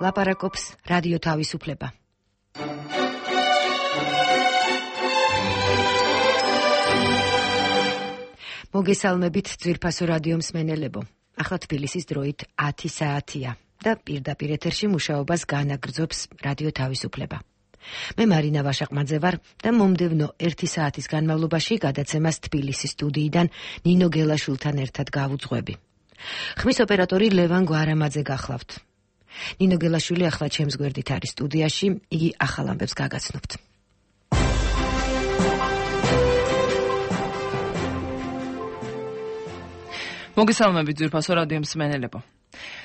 ლაპარაკობს რადიო თავისუფლება. მოგესალმებით ძვირფასო რადიო მსმენელებო. ახლა თბილისის დროით 10 საათია და პირდაპირ ეთერში მუშაობას განაგრძობს რადიო თავისუფლება. მე მარინა ვაშაყმაძე ვარ და მომდევნო 1 საათის განმავლობაში გადაცემას თბილისის სტუდიიდან ნინო გელაშვილთან ერთად გავუძღვები. ხმის ოპერატორი ლევან გვარამაძე გახლავთ. ნინო გელაშვილი ახლა ჩემს გვერდით არის სტუდიაში, იგი ახალ ამბებს გაგაცნობთ. მოგესალმებით ძვირფასო რადიო მსმენელებო.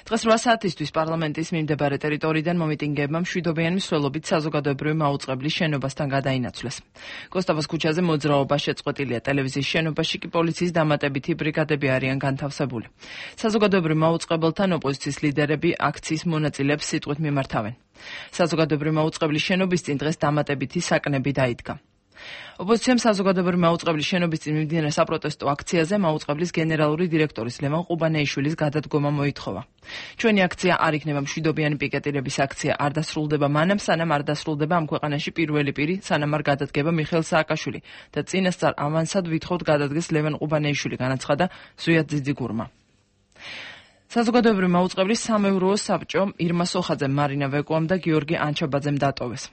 დღეს 8 საათისთვის პარლამენტის მიმდებარე ტერიტორიიდან მომიტინგეებმა მშვიდობიანი მსვლელობით საზოგადოებრივი მაუწყებლის შენობასთან გადაინაცვლეს. კოსტავას ქუჩაზე მოძრაობა შეწყვეტილია, ტელევიზიის შენობაში კი პოლიციის დამატებითი ბრიგადები არიან განთავსებული. საზოგადოებრივ მაუწყებელთან ოპოზიციის ლიდერები აქციის მონაწილეებს სიტყვით მიმართავენ. საზოგადოებრივი მაუწყებლის შენობის წინ დღეს დამატებითი საკნები დაიდგა. ოპოზიციამ საზოგადოებრივი მაუწყებლის შენობის წინ მიმდინარე საპროტესტო აქციაზე მაუწყებლის გენერალური დირექტორის ლევან ყუბანეიშვილის გადადგომა მოითხოვა. ჩვენი აქცია არ იქნება მშვიდობიანი პიკეტირების აქცია, არ დასრულდება მანამ, სანამ არ დასრულდება ამ ქვეყანაში პირველი პირი, სანამ არ გადადგება მიხეილ სააკაშვილი და წინასწარ ავანსად ვითხოვთ გადადგეს ლევან ყუბანეიშვილი, განაცხადა ზვიად ძიძიგურმა. საზოგადოებრივი მაუწყებლის სამეურვეო საბჭო ირმა სოხაძე, მარინა ვეკუამ და გიორგი ანჩაბაძემ დატოვეს.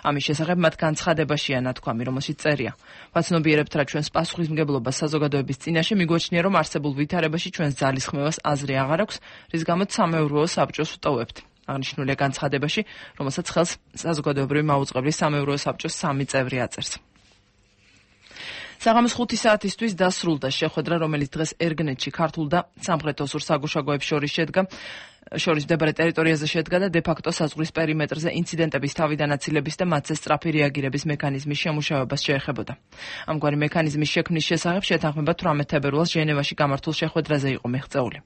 ამის შესახებ მათ განცხადებაშია ნათქვამი, რომელშიც წერია: ვაცნობიერებთ რა ჩვენს პასუხისმგებლობას საზოგადოების წინაშე, მიგვაჩნია, რომ არსებულ ვითარებაში ჩვენს ძალისხმევას აზრი აღარ აქვს, რის გამოც სამეურვეო საბჭოს ვტოვებთ. აღნიშნულია განცხადებაში, რომელსაც ხელს საზოგადოებრივი მაუწყებლის სამეურვეო საბჭოს 3 წევრი აწერს. საღამოს 5 საათისთვის დასრულდა შეხვედრა, რომელიც დღეს ერგნეთში ქართულ და სამხრეთ-ოსურ საგუშაგოებს შორის მდებარე ტერიტორიაზე შედგა და დე-ფაქტო საზღვრის პერიმეტრზე ინციდენტების თავიდანაცილების და მათზე სწრაფი რეაგირების მექანიზმის შემუშავებას შეეხებოდა. ამგვარი მექანიზმის შექმნის შესახებ შეთანხმება 18 თებერვალს ჟენევაში გამართულ შეხვედრაზე იყო მიღწეული.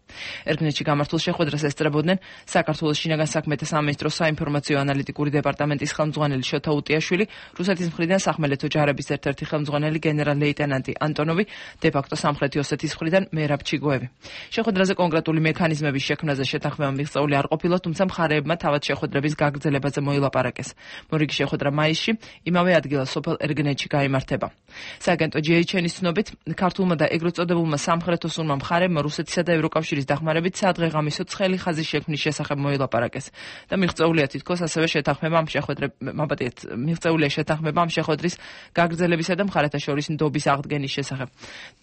ერგნეთში გამართულ შეხვედრას ესწრებოდნენ საქართველოს შინაგან საქმეთა სამინისტროს საინფორმაციო ანალიტიკური დეპარტამენტის ხელმძღვანელი შოთა უტიაშვილი, რუსეთის მხრიდან სახმელეთო ჯარების ერთ-ერთი ხელმძღვანელი გენერალ-ლეიტენანტი ანტონოვი, დე-ფაქტო სამხრეთი ოსეთის მხრიდან მერაბ ჩიგოევი. შეხვედრაზე კონკრეტული მექანიზმების შექმნაზე შეთანხმება მიღწეული არ ყოფილა, თუმცა მხარეებმა თავად შეხვედრების გაგრძელებაზე მოილაპარაკეს. მორიგი შეხვედრა მაისში იმავე ადგილას სოფელ ერგნეთში გაიმართება. სააგენტო GHN-ის ცნობით, ქართულმა და ეგრეთ წოდებულმა სამხრეთ-ოსურმა მხარეებმა რუსეთისა და ევროკავშირის დახმარებით სადღეღამისო ცხელი ხაზის შექმნის შესახებ მოილაპარაკეს და მიღწეულია თითქოს ასევე შეთანხმება ამ შეხვედრის გაგრძელებისა და მხარეთა შორის ნდობის აღდგენის შესახებ.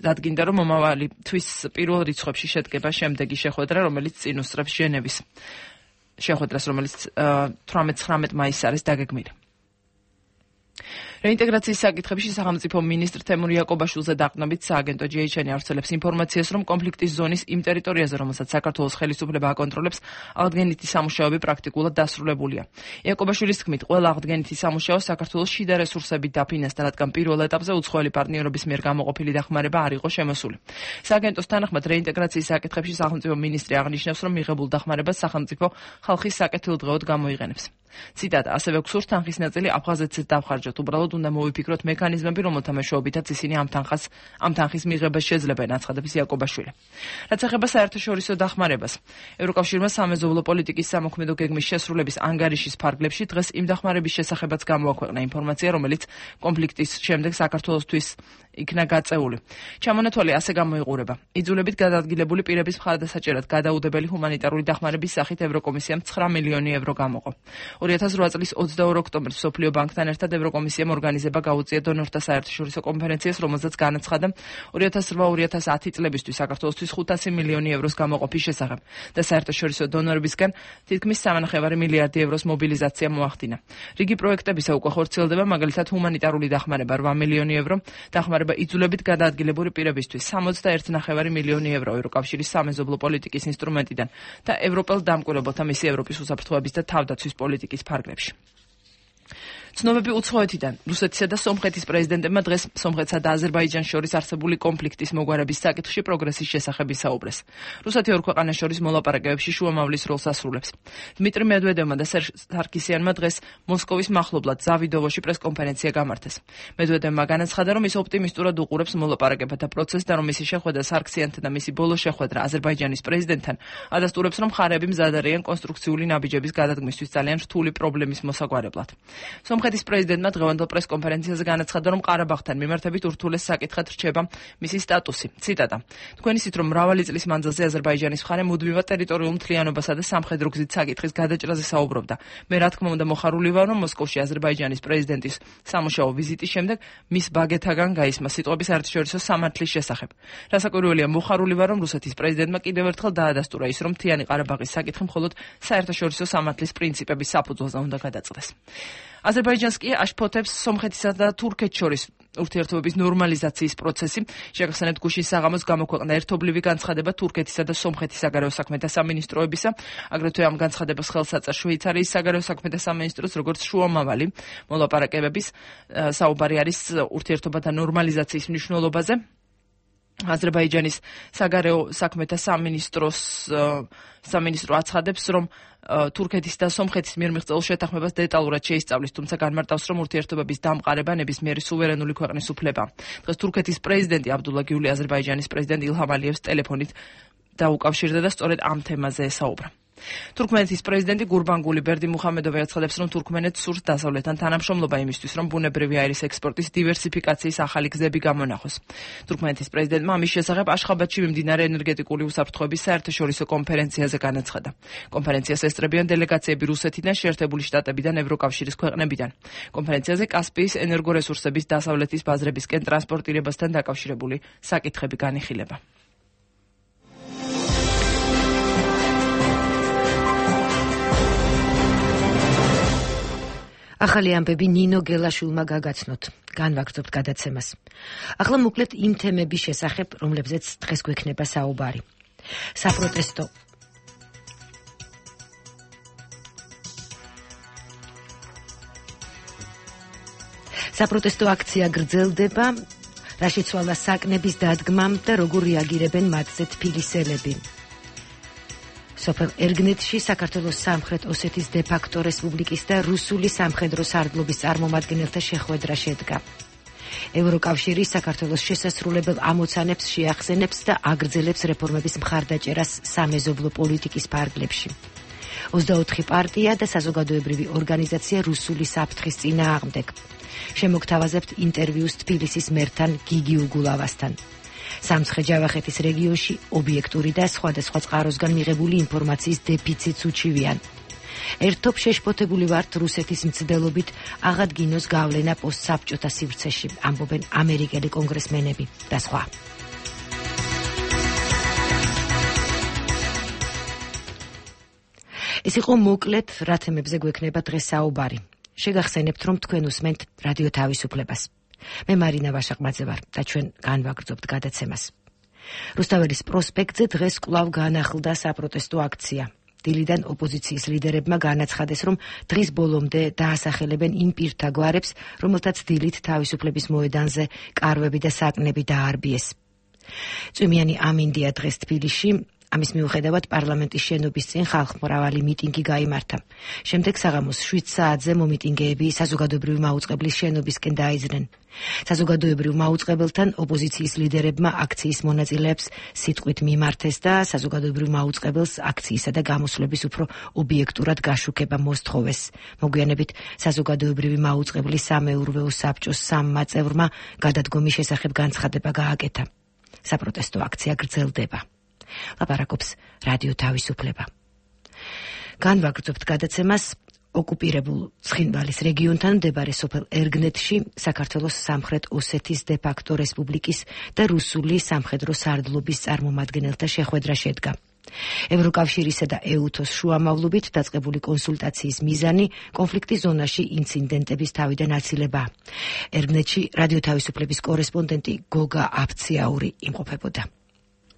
დადგინდა, რომ მომავალი თვის პირველ რიცხვებში შედგება შემდეგი შეხვედრა, რომელიც წინ უსწრებს ჟენევის შეხვედრას, რომელიც 18-19 მაისს არის დაგეგმილი. რეინტეგრაციის საკითხებში სახელმწიფო მინისტრ თემურ იაკობაშვილზე დაყრდნობით სააგენტო GHN ავრცელებს ინფორმაციას, რომ კონფლიქტის ზონის იმ ტერიტორიაზე, რომელსაც საქართველოს ხელისუფლება აკონტროლებს, აღდგენითი სამუშაოები პრაქტიკულად დასრულებულია. იაკობაშვილის თქმით, ყველა აღდგენითი სამუშაო საქართველოს შიდა რესურსებით დაფინანსდა, რადგან პირველ ეტაპზე უცხოელი პარტნიორების მიერ გამოყოფილი დახმარება არ იყო შემოსული. სააგენტოს თანახმად, რეინტეგრაციის საკითხებში სახელმწიფო მინისტრი აღნიშნავს, რომ მიღებულ დახმარებას სახელმწიფო ხალხის საკეთილდღეოდ გამოიყენებს. ციტატა: ასევე გსურს თანხის ნაწილი აფხაზეთზეც დავხარჯოთ, უბრალოდ უნდა მოვიფიქროთ მექანიზმები, რომელთა მეშვეობითაც ისინი ამ თანხის მიღებას შეძლებენ, აცხადებს იაკობაშვილი. რაც ეხება საერთაშორისო დახმარებას, ევროკავშირმა სამეზობლო პოლიტიკის სამოქმედო გეგმის შესრულების ანგარიშის ფარგლებში დღეს იმ დახმარების შესახებაც გამოაქვეყნა ინფორმაცია, რომელიც კონფლიქტის შემდეგ საქართველოსთვის იქნა გაწეული. ჩამონათვალი ასე გამოიყურება: იძულებით გადაადგილებული პირების მხარდასაჭერად გადაუდებელი ჰუმანიტარული დახმარების სახით ევროკომისიამ 9 მილიონი евро გამოყო. 2008 წლის 22 ოქტომბერს მსოფლიო ბანკთან ერთად ევროკომისიამ ორგანიზება გაუწია დონორთა საერთაშორისო კონფერენციას, რომელზეც განაცხადა 2008-2010 წლებისთვის საქართველოსთვის 500 მილიონი ევროს გამოყოფის შესახებ და საერთაშორისო დონორებისგან თითქმის 3,5 მილიარდი ევროს მობილიზაცია მოახდინა. რიგი პროექტებისა უკვე ხორციელდება, მაგალითად ჰუმანიტარული დახმარება 8 მილიონი евро, დახმარება იძულებით გადაადგილებული პირებისთვის 61,5 მილიონი евро ევროკავშირის სამეზობლო პოლიტიკის ინსტრუმენტიდან და ევროპელ დამკვირვებელთა მისი ევროპის უსაფრთხოების და თავდაცვის პოლიტიკის ფარგლებში. ცნობები უცხოეთიდან. რუსეთისა და სომხეთის პრეზიდენტებმა დღეს სომხეთსა და აზერბაიჯანს შორის არსებული კონფლიქტის მოგვარების საკითხში პროგრესის შესახებ ისაუბრეს. რუსეთი ორ ქვეყანას შორის მოლაპარაკებებში შუამავლის როლს ასრულებს. დმიტრი მედვედევმა და სერჟ სარკისიანმა დღეს მოსკოვის მახლობლად ზავიდოვოში პრესკონფერენცია გამართეს. მედვედევმა განაცხადა, რომ ის ოპტიმისტურად უყურებს მოლაპარაკებათა პროცესს და რომ მისი შეხვედრა სარკისიანთან და მისი ბოლო შეხვედრა აზერბაიჯანის პრეზიდენტთან ადასტურებს, რომ მხარეები მზად არიან კონსტრუქციული ნაბიჯების გადადგმისთვის ძალიან რთული პრობლემის მოსაგვარებლად. სომხეთის პრეზიდენტმა დღევანდელ პრესკონფერენციაზე განაცხადა, რომ ყარაბაღთან მიმართებით ურთულეს საკითხად რჩება მისი სტატუსი. ციტატა: თქვენ იცით, რომ მრავალი წლის მანძილზე აზერბაიჯანის მხარე მუდმივად ტერიტორიულ მთლიანობასა და სამხედრო გზით საკითხის გადაჭრაზე საუბრობდა. მე რა თქმა უნდა მოხარული ვარ, რომ მოსკოვში აზერბაიჯანის პრეზიდენტის სამუშაო ვიზიტის შემდეგ მის ბაგეთაგან გაისმა სიტყვები საერთაშორისო სამართლის შესახებ. რასაკვირველია, მოხარული ვარ, რომ რუსეთის პრეზიდენტმა კიდევ ერთხელ დაადასტურა ის, რომ მთიანი ყარაბაღის საკითხი მხოლოდ საერთაშორისო სამართლის პრინციპების საფუძველზე უნდა გადაწყდეს. აზერბაიჯანს კი აშფოთებს სომხეთისა და თურქეთს შორის ურთიერთობების ნორმალიზაციის პროცესი. შეგახსენებთ, გუშინ საღამოს გამოქვეყნდა ერთობლივი განცხადება თურქეთისა და სომხეთის საგარეო საქმეთა სამინისტროებისა. აგრეთვე ამ განცხადებას ხელს აწერს შვეიცარიის საგარეო საქმეთა სამინისტროს, როგორც შუამავალი მოლაპარაკებების საუბარი არის ურთიერთობათა ნორმალიზაციის მნიშვნელობაზე. აზერბაიჯანის საგარეო საქმეთა სამინისტრო აცხადებს, რომ თურქეთის და სომხეთის მიერ მიღწეულ შეთანხმებას დეტალურად შეისწავლის, თუმცა განმარტავს, რომ ურთიერთობების დამყარება ნებისმიერი სუვერენული ქვეყნის უფლება. დღეს თურქეთის პრეზიდენტი აბდულა გიული აზერბაიჯანის პრეზიდენტ ილჰამ ალიევს ტელეფონით დაუკავშირდა და სწორედ ამ თემაზე ესაუბრა. თურქმენეთის პრეზიდენტი გურბანგული ბერდიმუხამედოვი აცხადებს, რომ თურქმენეთს სურს დასავლეთთან თანამშრომლობა იმისთვის, რომ ბუნებრივი აირის ექსპორტის დივერსიფიკაციის ახალი გზები გამონახოს. თურქმენეთის პრეზიდენტმა ამის შესახებ აშხაბადში მიმდინარე ენერგეტიკული უსაფრთხოების საერთაშორისო კონფერენციაზე განაცხადა. კონფერენციას ესწრებიან დელეგაციები რუსეთიდან, შეერთებული შტატებიდან, ევროკავშირის ქვეყნებიდან. კონფერენციაზე კასპიის ენერგორესურსების დასავლეთის ბაზრებისკენ ტრანსპორტირებასთან დაკავშირებული საკითხები განიხილება. ახალი ამბები ნინო გელაშვილმა გაგაცნოთ. განვაგრძობთ გადაცემას. ახლა მოკლედ იმ თემების შესახებ, რომლებზეც დღეს გვექნება საუბარი. საპროტესტო აქცია გრძელდება, რა შეცვალა საკნების დადგმამ და როგორ რეაგირებენ მათზე თბილისელები. სოფელ ერგნეთში საქართველოს სამხრეთ ოსეთის დე-ფაქტო რესპუბლიკის და რუსული სამხედრო სარდლობის წარმომადგენელთა შეხვედრა შედგა. ევროკავშირი საქართველოს შესასრულებელ ამოცანებს შეახსენებს და აგრძელებს რეფორმების მხარდაჭერას სამეზობლო პოლიტიკის ფარგლებში. 24 პარტია და საზოგადოებრივი ორგანიზაცია რუსული საფრთხის წინააღმდეგ. შემოგთავაზებთ ინტერვიუს თბილისის მერთან გიგი უგულავასთან. სამცხე-ჯავახეთის რეგიონში ობიექტური და სხვადასხვა წყაროსგან მიღებული ინფორმაციის დეფიციტს უჩივიან. ერთობ შეშფოთებული ვართ რუსეთის მცდელობით აღადგინოს გავლენა პოსტსაბჭოთა სივრცეში, ამბობენ ამერიკელი კონგრესმენები და სხვა. ეს იყო მოკლედ რა თემებზე გვექნება დღეს საუბარი. შეგახსენებთ, რომ თქვენ უსმენთ რადიო თავისუფლებას. მე მარინა ვაშაყმაძე ვარ და ჩვენ განვაგრძობთ გადაცემას. რუსთაველის პროსპექტზე დღეს კვლავ განახლდა საპროტესტო აქცია. დილიდან ოპოზიციის ლიდერებმა განაცხადეს, რომ დღის ბოლომდე დაასახელებენ იმ პირთა გვარებს, რომელთაც დილით თავისუფლების მოედანზე კარვები და საკნები დაარბიეს. წვიმიანი ამინდია დღეს თბილისში. ამის მიუხედავად პარლამენტის შენობის წინ ხალხმრავალი მიტინგი გაიმართა. შემდეგ საღამოს 7 საათზე მომიტინგეები საზოგადოებრივი მაუწყებლის შენობისკენ დაიძრნენ. საზოგადოებრივ მაუწყებელთან ოპოზიციის ლიდერებმა აქციის მონაწილეებს სიტყვით მიმართეს და საზოგადოებრივ მაუწყებელს აქციისა და გამოსვლების უფრო ობიექტურად გაშუქება მოსთხოვეს. მოგვიანებით საზოგადოებრივი მაუწყებლის სამეურვეო საბჭოს სამმა წევრმა გადადგომის შესახებ განცხადება გააკეთა. საპროტესტო აქცია გრძელდება. ლაპარაკობს რადიო თავისუფლება. განვაგრძობთ გადაცემას. ოკუპირებულ ცხინვალის რეგიონთან მდებარე სოფელ ერგნეთში საქართველოს სამხრეთ ოსეთის დე-ფაქტო რესპუბლიკის და რუსული სამხედრო სარდლობის წარმომადგენელთა შეხვედრა შედგა. ევროკავშირისა და ეუთოს შუამავლობით დაწყებული კონსულტაციის მიზანი კონფლიქტის ზონაში ინციდენტების თავიდან აცილება. ერგნეთში რადიო თავისუფლების კორესპონდენტი გოგა აფციაური იმყოფებოდა.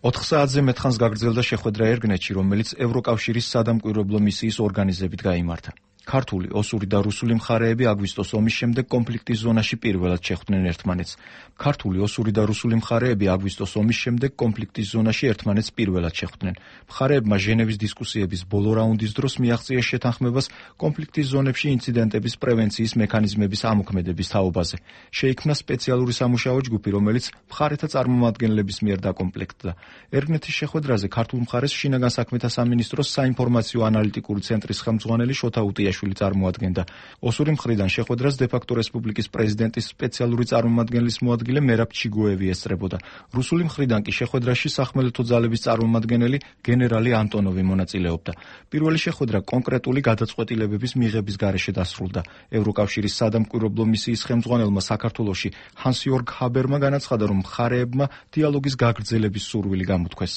4 საათზე მეტხანს გაგრძელდა შეხვედრა ერგნეთში, რომელიც ევროკავშირის სადამკვირვებლო მისიის ორგანიზებით გაიმართა. ქართული, ოსური და რუსული მხარეები აგვისტოს ომის შემდეგ კონფლიქტის ზონაში პირველად შეხვდნენ ერთმანეთს. ქართული, ოსური და რუსული მხარეები აგვისტოს ომის შემდეგ კონფლიქტის ზონაში ერთმანეთს პირველად შეხვდნენ. მხარეებმა ჟენევის დისკუსიების ბოლო რაუნდის დროს მიაღწიეს შეთანხმებას კონფლიქტის ზონებში ინციდენტების პრევენციის მექანიზმების ამოქმედების თაობაზე. შეიქმნა სპეციალური სამუშაო ჯგუფი, რომელიც მხარეთა წარმომადგენლების მიერ დაკომპლექტდა. ერგნეთის შეხვედრაზე ქართულ მხარეს შინაგან საქმეთა სამინისტროს საინფორმაციო ანალიტიკური ცენტრის ხელმძღვანელი შოთა უტიაშვილი წარმოადგენდა. ოსური მხრიდან შეხვედრას დე-ფაქტო რესპუბლიკის პრეზიდენტის სპეციალური წარმომადგენლის მოადგილე მერაბ ჩიგოევი ესწრებოდა. რუსული მხრიდან კი შეხვედრაში სახმელეთო ძალების წარმომადგენელი გენერალი ანტონოვი მონაწილეობდა. პირველი შეხვედრა კონკრეტული გადაწყვეტილებების მიღების გარეშე დასრულდა. ევროკავშირის სადამკვირვებლო მისიის ხელმძღვანელმა საქართველოში ჰანს-იორგ ჰაბერმა განაცხადა, რომ მხარეებმა დიალოგის გაგრძელების სურვილი გამოთქვეს.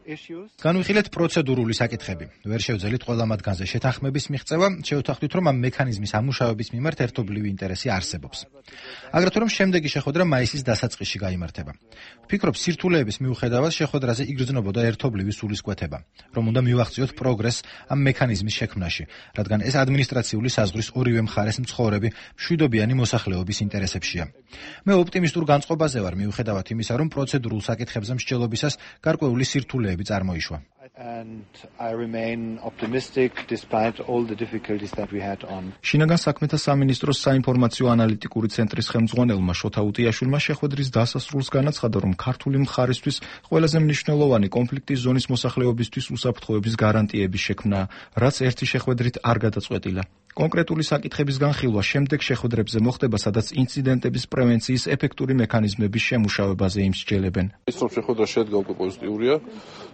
განვიხილეთ პროცედურული საკითხები. ვერ შევძელით ყველა მათგანზე შეთანხმების მიღწევა, შევთანხმდით, რომ ამ მექანიზმის ამუშავების მიმართ ერთობლივი ინტერესი არსებობს. აგრეთვე რომ შემდეგი შეხვედრა მაისის დასაწყისში გაიმართება. ვფიქრობ, სირთულეების მიუხედავად შეხვედრაზე იგრძნობოდა ერთობლივი სულისკვეთება, რომ უნდა მივახციოთ პროგრესს ამ მექანიზმის შექმნაში, რადგან ეს ადმინისტრაციული საზღვრის ორივე მხარეს მცხოვრები მშვიდობიანი მოსახლეობის ინტერესებშია. მე ოპტიმისტურ განწყობაზე ვარ, მიუხედავად იმისა, რომ პროცედურულ საკითხებზე მსჯელობისას გარკვეული სირთულეები წარმოიშვა. შინაგან საქმეთა სამინისტროს საინფორმაციო ანალიტიკური ცენტრის ხელმძღვანელმა შოთა უტიაშვილმა შეხვედრის დასასრულს განაცხადა, რომ ქართული მხარისთვის ყველაზე მნიშვნელოვანი კონფლიქტის ზონის მოსახლეობისთვის უსაფრთხოების გარანტიების შექმნაა, რაც ერთი შეხვედრით არ გადაწყვეტილა. კონკრეტული საკითხების განხილვა შემდეგ შეხვედრებზე მოხდება, სადაც ინციდენტების პრევენციის ეფექტური მექანიზმების შემუშავებაზე იმსჯელებენ. ის რომ შეხვედრა შედგა უკვე პოზიტიურია.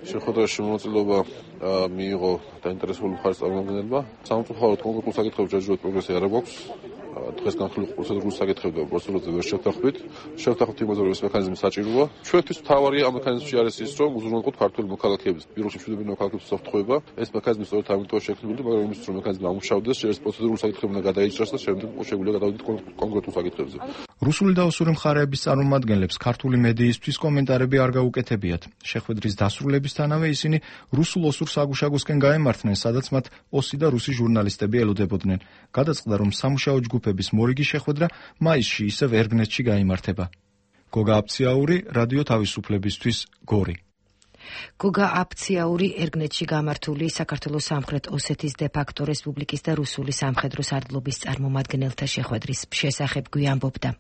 შეხვედრაში მონაწილეობა მიიღო დაინტერესებული მხარის წარმომადგენლებმა. სამწუხაროდ კონკრეტულ საკითხებში ჯერჯერობით პროგრესი არ აქვს. დღეს განხილულ პროცედურულ საკითხებზე და პროცედურაზე ვერ შევთანხმდით. შევთანხმდით იმაზე, რომ ეს მექანიზმი საჭიროა. ჩვენთვის მთავარია ამ მექანიზმში არის ის, რომ უზრუნველყოთ ქართული მოქალაქეების, პირობებში მშვიდობიანი მოქალაქეების უსაფრთხოება. ეს მექანიზმი სწორედ ამიტომ შექმნილი, მაგრამ იმისთვის, რომ მექანიზმი ამუშავდეს, ეს პროცედურულ საკითხები უნდა გადაიჭრას და შემდეგ შეგვიძლია გადავიდეთ კონკრეტულ საკითხებზე. რუსული და ოსური მხარეების წარმომადგენლებს ქართული მედიისთვის კომენტარები არ გაუკეთებიათ. შეხვედრის დასრულებისთანავე ისინი რუსულ-ოსურ საგუშაგოსკენ გაემართნენ, სადაც მათ ოსი და რუსი ჟურნალისტები ელოდებოდნენ. გადაწყდა, რომ სამუშაო ჯგუფების მორიგი შეხვედრა მაისში ისევ ერგნეთში გაიმართება. გოგა აფციაური, რადიო თავისუფლებისთვის, გორი. გოგა აფციაური ერგნეთში გამართული საქართველოს სამხრეთ ოსეთის დე-ფაქტო რესპუბლიკის და რუსული სამხედრო სარდლობის წარმომადგენელთა შეხვედრის შესახებ გვიამბობდა.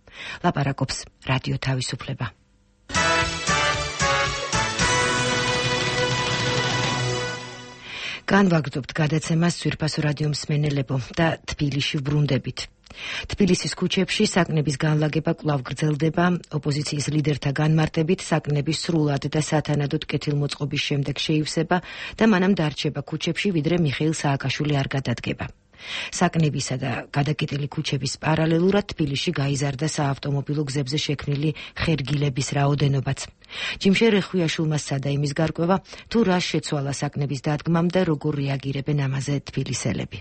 ლაპარაკობს რადიო თავისუფლება. განვაგრძობთ გადაცემას ძვირფასო რადიო მსმენელებო და თბილისში ვბრუნდებით. თბილისის ქუჩებში საკნების განლაგება კვლავ გრძელდება. ოპოზიციის ლიდერთა განმარტებით საკნების სრულად და სათანადოდ კეთილმოწყობის შემდეგ შეივსება და მანამ დარჩება ქუჩებში, ვიდრე მიხეილ სააკაშვილი არ გადადგება. საკნებისა და გადაკეტილი ქუჩების პარალელურად თბილისში გაიზარდა საავტომობილო გზებზე შექმნილი ხერგილების რაოდენობაც. ჯიმშე რეხვიაშვილმა სცადა იმის გარკვევა, თუ რა შეცვალა საკნების დადგმამ და როგორ რეაგირებენ ამაზე თბილისელები.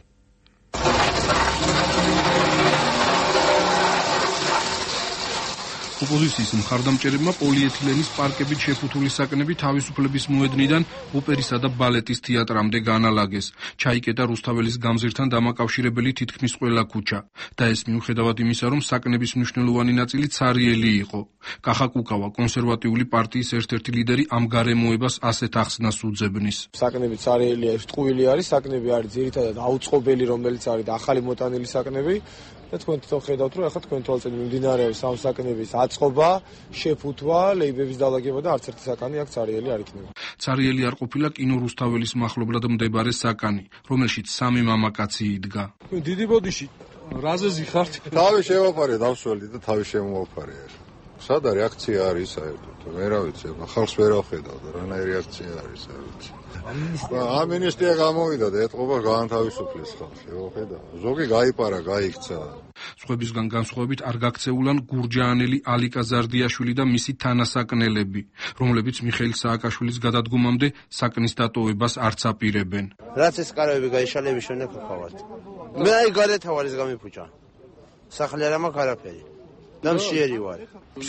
ოპოზიციის მხარდამჭერებმა პოლიეთილენის პარკებით შეფუთული საკნები თავისუფლების მოედნიდან ოპერისა და ბალეტის თეატრამდე განალაგეს. ჩაიკეტა რუსთაველის გამზირთან დამაკავშირებელი თითქმის ყველა ქუჩა და ეს მიუხედავად იმისა, რომ საკნების მნიშვნელოვანი ნაწილი ცარიელი იყო. კახა კუკავა, კონსერვატიული პარტიის ერთ-ერთი ლიდერი ამ გარემოებას ასეთ ახსნას უძებნის. საკნები ცარიელია, ტყუილი არის, საკნები არის ძირითადად აუწყობელი, რომელიც არის და ახალი მოტანილი საკნები. და თქვენ თვითონ ხედავთ, რომ ახლა თქვენ თვალწინ მიმდინარეობს ამ საკნების აწყობა, შეფუთვა, ლეიბების დალაგება და არც ერთი საკანი აქ ცარიელი არ იქნება. ცარიელი არ ყოფილა კინო რუსთაველის მახლობლად მდებარე საკანი, რომელშიც სამი მამაკაცი იდგა. დიდი ბოდიში, რაზე ზიხართ? თავი შევაფარე, დავსველი და თავი შემოვაფარე. სადა რეაქცია არის საერთოდ? მე რა ვიცი, ხალხს ვერ ახედავ და რანაირი რეაქცია არის, არ ვიცი. ამინისტია გამოვიდა და ეთყობა გაანთავისუფლეს ხალხი, ხედავ. ზოგი გაიპარა, გაიქცა. სხვებისგან განსხვავებით არ გაქცეულან გურჯაანელი ალიკა ზარდიაშვილი და მისი თანასაკნელები, რომლებიც მიხეილ სააკაშვილის გადადგომამდე საკნის დატოვებას არც აპირებენ. რაც ეს კარები გაიშალების შემდეგ ვხავართ. მე აი გადათავარის გამიფუჭა. სახლი არ მაქვს არაფერი. ნამშიერი ვარ.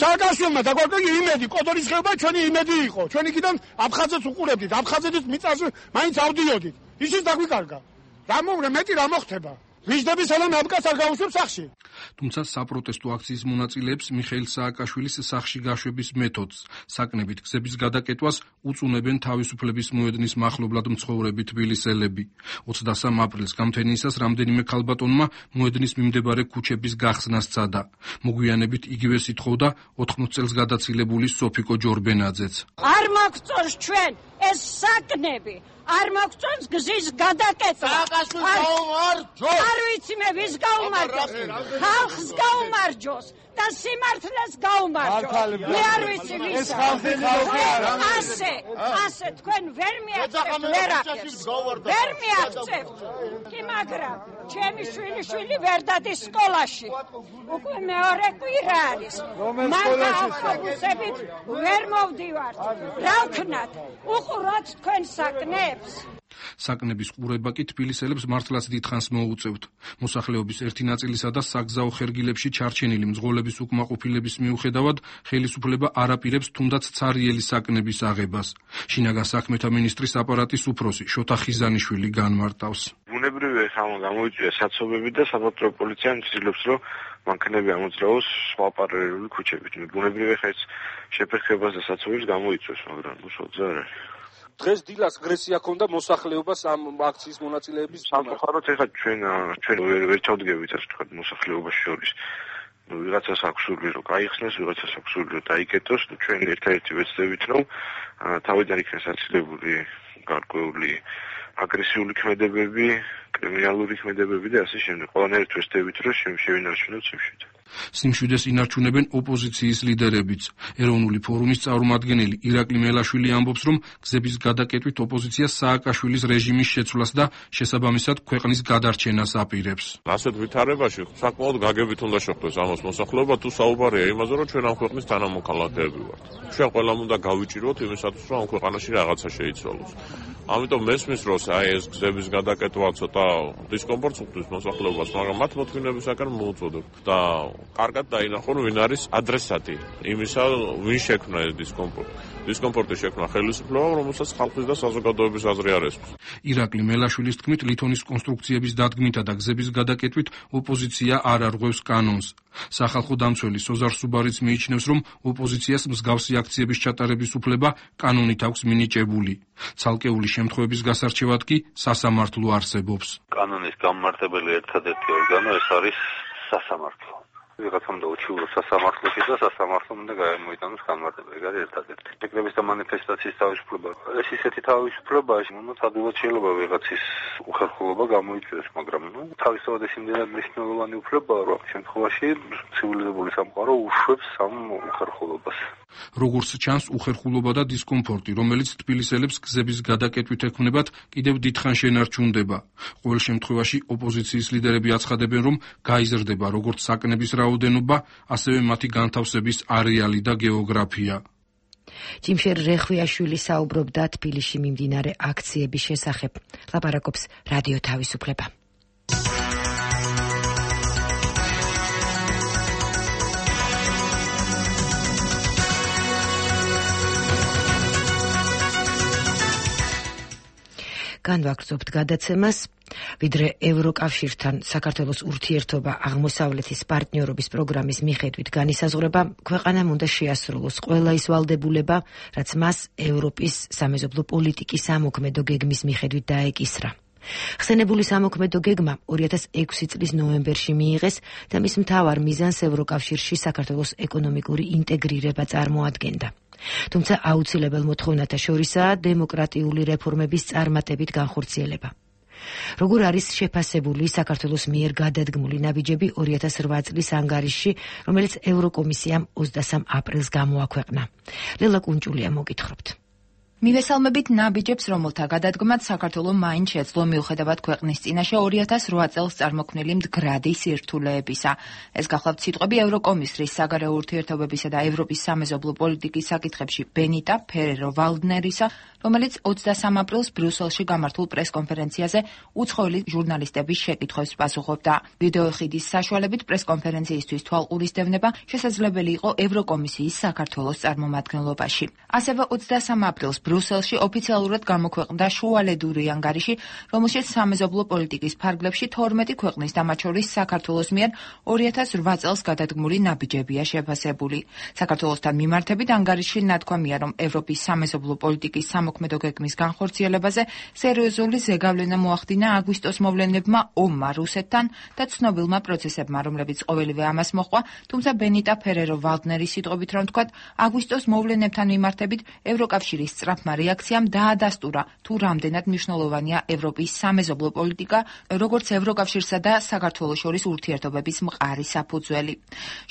სააკაშვილმა დაგვარკვია იმედი, კოდორის ხეობა ჩვენი იმედი იყო. ჩვენ იქიდან აფხაზეთს უყურებდით, აფხაზეთის მიწაზე მაინც ავდიოდით. ისიც დაგვიკარგა. მეტი რა მოხდება? ვიждები სალამ აბკას არ გაუშვებს სახში. თუმცა საპროტესტო აქციის მონაწილეებს მიხეილ სააკაშვილის სახში გაშვების მეთოდს, საკნებით გზების გადაკეტვას უწუნებენ თავისუფლების მოედნის მახლობლად მცხოვრები თბილისელები. 23 აპრილს გამთენიისას რამდენიმე ქალბატონმა მოედნის მიმდებარე ქუჩების გახსნას სცადა. მოგვიანებით იგივე სითხოვდა 80 წელს გადაცილებული სოფიკო ჯორბენაძეც. არ მოგწონს ჩვენ ეს საკნები. არ მოგწონს გზის გადაკეტვა. არ ვიცი მე ვის გაუმარჯოს. ხალხს გაუმარჯოს და სიმართლეს გაუმარჯოს. მე არ ვიცი ვის. ასე თქვენ ვერ მიაღწევთ ვერაფერს. ვერ მიაღწევთ. კი მაგრამ ჩემი შვილი ვერ დადის სკოლაში. უკვე მეორე კვირა არის. მან ავტობუსებით ვერ მოვდივართ. რა ვქნათ? უყუროთ თქვენ საკნებს. საკნების ყურება კი თბილისელებს მართლაც დიდხანს მოუწევთ. მოსახლეობის ერთი ნაწილისა და საგზაო ხერგილებში ჩარჩენილი მძღოლების უკმაყოფილების მიუხედავად ხელისუფლება არ აპირებს თუნდაც ცარიელი საკნების აღებას. შინაგან საქმეთა მინისტრის აპარატის უფროსი შოთა ხიზანიშვილი განმარტავს. ბუნებრივი ხალხმა გამოიწვია საცობები და საპატრიო პოლიცია ცდილობს, რომ მანქანები ამოძრავოს სხვა პარალელური ქუჩებით. ბუნებრივი ხეც შეფერხებას და საცობებს გამოიწვევს, მაგრამ უშუალოდ არ არის. დღეს დილას აგრესია ქონდა მოსახლეობას ამ აქციის მონაწილეების სამწუხაროდ ეხლა ჩვენ ვერ ჩავდგებით ასე ვთქვათ მოსახლეობას შორის. ვიღაცას აქვს სურვილი რომ გაიხსნას, ვიღაცას აქვს სურვილი რომ დაიკეტოს, ჩვენ ერთადერთი ვეცდებით რომ თავიდან იქნას აცილებული გარკვეული აგრესიული ქმედებები, კრიმინალური ქმედებები და ასე შემდეგ. ყველანაირად ვეცდებით რომ შევინარჩუნოთ სიმშვიდე. სიმშვიდეს ინარჩუნებენ ოპოზიციის ლიდერებიც. ეროვნული ფორუმის წარმომადგენელი ირაკლი მელაშვილი ამბობს, რომ გზების გადაკეტვით ოპოზიცია სააკაშვილის რეჟიმის შეცვლას და შესაბამისად ქვეყნის გადარჩენას აპირებს. ასეთ ვითარებაში საკმაოდ გაგებით უნდა შეხვდეს ამას მოსახლეობა, თუ საუბარია იმაზე, რომ ჩვენ ამ ქვეყნის თანამოქალაქეები ვართ. ჩვენ ყველამ უნდა გავიჭიროთ იმისათვის, რომ ამ ქვეყანაში რაღაცა შეიცვალოს. ამიტომ მესმის დროს ეს გზების გადაკეტვა ცოტა დისკომფორტს უხდის მოსახლეობას, მაგრამ მათ მოთმინებისაგან მოუწოდებ და კარგად დაინახონ ვინ არის ადრესატი იმისა, ვინ შექმნა ეს დისკომფორტი. დისკომფორტი შექმნა ხელისუფლებამ, რომელსაც ხალხის და საზოგადოების აზრი არ ესმის. ირაკლი მელაშვილის თქმით, ლითონის კონსტრუქციების დადგმითა და გზების გადაკეტვით ოპოზიცია არ არღვევს კანონს. სახალხო დამცველი სოზარ სუბარიც მიიჩნევს, რომ ოპოზიციას მსგავსი აქციების ჩატარების უფლება კანონით აქვს მინიჭებული. ცალკეული შემთხვევების გასარჩევად კი სასამართლო არსებობს. კანონის გამმარტებელი ერთადერთი ორგანო ეს არის სასამართლო. ვიღაცამ და უჩივლოს სასამართლოში და სასამართლომ უნდა გამოიტანოს განმარტება. ეგ არის ერთადერთი. შეკრების და მანიფესტაციის თავისუფლება. ეს ისეთი თავისუფლებაა, ადვილად შეიძლება ვიღაცის უხერხულობა გამოიწვიოს, მაგრამ თავისთავად ეს იმდენად მნიშვნელოვანი უფლებაა, რომ ამ შემთხვევაში ცივილიზებული სამყარო უშვებს ამ უხერხულობას. როგორც ჩანს, უხერხულობა და დისკომფორტი, რომელიც თბილისელებს გზების გადაკეტვით ექმნებათ, კიდევ დიდხანს შენარჩუნდება. ყოველ შემთხვევაში ოპოზიციის ლიდერები აცხადებენ, რომ გაიზრდება როგორც საკნების რაოდენობა, ასევე მათი განთავსების არეალი და გეოგრაფია. ჯიმშერ რეხვიაშვილი საუბრობდა თბილისში მიმდინარე აქციების შესახებ. ლაპარაკობს რადიო თავისუფლება. განვაგრძობთ გადაცემას, ვიდრე ევროკავშირთან საქართველოს ურთიერთობა აღმოსავლეთის პარტნიორობის პროგრამის მიხედვით განისაზღვრება, ქვეყანამ უნდა შეასრულოს ყველა ის ვალდებულება, რაც მას ევროპის სამეზობლო პოლიტიკის ამოქმედო გეგმის მიხედვით დაეკისრა. ხსენებული სამოქმედო გეგმა 2006 წლის ნოემბერში მიიღეს და მის მთავარ მიზანს ევროკავშირში საქართველოს ეკონომიკური ინტეგრირება წარმოადგენდა. თუმცა აუცილებელ მოთხოვნათა შორისაა დემოკრატიული რეფორმების წარმატებით განხორციელება. როგორ არის შეფასებული საქართველოს მიერ გადადგმული ნაბიჯები 2008 წლის ანგარიშში, რომელიც ევროკომისიამ 23 აპრილს გამოაქვეყნა. ლელა კუნჭულია მოგითხრობთ. მივესალმებით ნაბიჯებს, რომელთა გადადგმაც საქართველოს მაინც შეძლო მიუხედავად ქვეყნის წინაშე 2008 წელს წარმოქმნილი მდგრადი სირთულეებისა. ეს გახლავთ სიტყვები ევროკომისრის საგარეო ურთიერთობებისა და ევროპის სამეზობლო პოლიტიკის საკითხებში ბენიტა ფერერო-ვალდნერისა, რომელიც 23 აპრილს ბრიუსელში გამართულ პრესკონფერენციაზე უცხოელი ჟურნალისტების შეკითხვებს პასუხობდა. ვიდეოხიდის საშუალებით პრესკონფერენციისთვის თვალყურისდევნება შესაძლებელი იყო ევროკომისიის საქართველოს წარმომადგენლობაში. ასევე 23 აპრილს ბრიუსელში ოფიციალურად გამოქვეყნდა შუალედური ანგარიში, რომელშიც სამეზობლო პოლიტიკის ფარგლებში 12 ქვეყნის და მათ შორის საქართველოს მიერ 2008 წელს გადადგმული ნაბიჯებია შეფასებული. საქართველოსთან მიმართებით ანგარიშში ნათქვამია, რომ ევროპის სამეზობლო პოლიტიკის სამოქმედო გეგმის განხორციელებაზე სერიოზული ზეგავლენა მოახდინა აგვისტოს მოვლენებმა ომმა რუსეთთან და ცნობილმა პროცესებმა, რომლებიც ყოველივე ამას მოჰყვა, თუმცა ბენიტა ფერერო-ვალდნერის სიტყვებით რომ ვთქვათ, აგვისტოს მოვლენებთან მიმართებით ევროკავშირის სწრაფმა რეაქციამ დაადასტურა, თუ რამდენად მნიშვნელოვანია ევროპის სამეზობლო პოლიტიკა, როგორც ევროკავშირსა და საქართველოს შორის ურთიერთობების მყარი საფუძველი.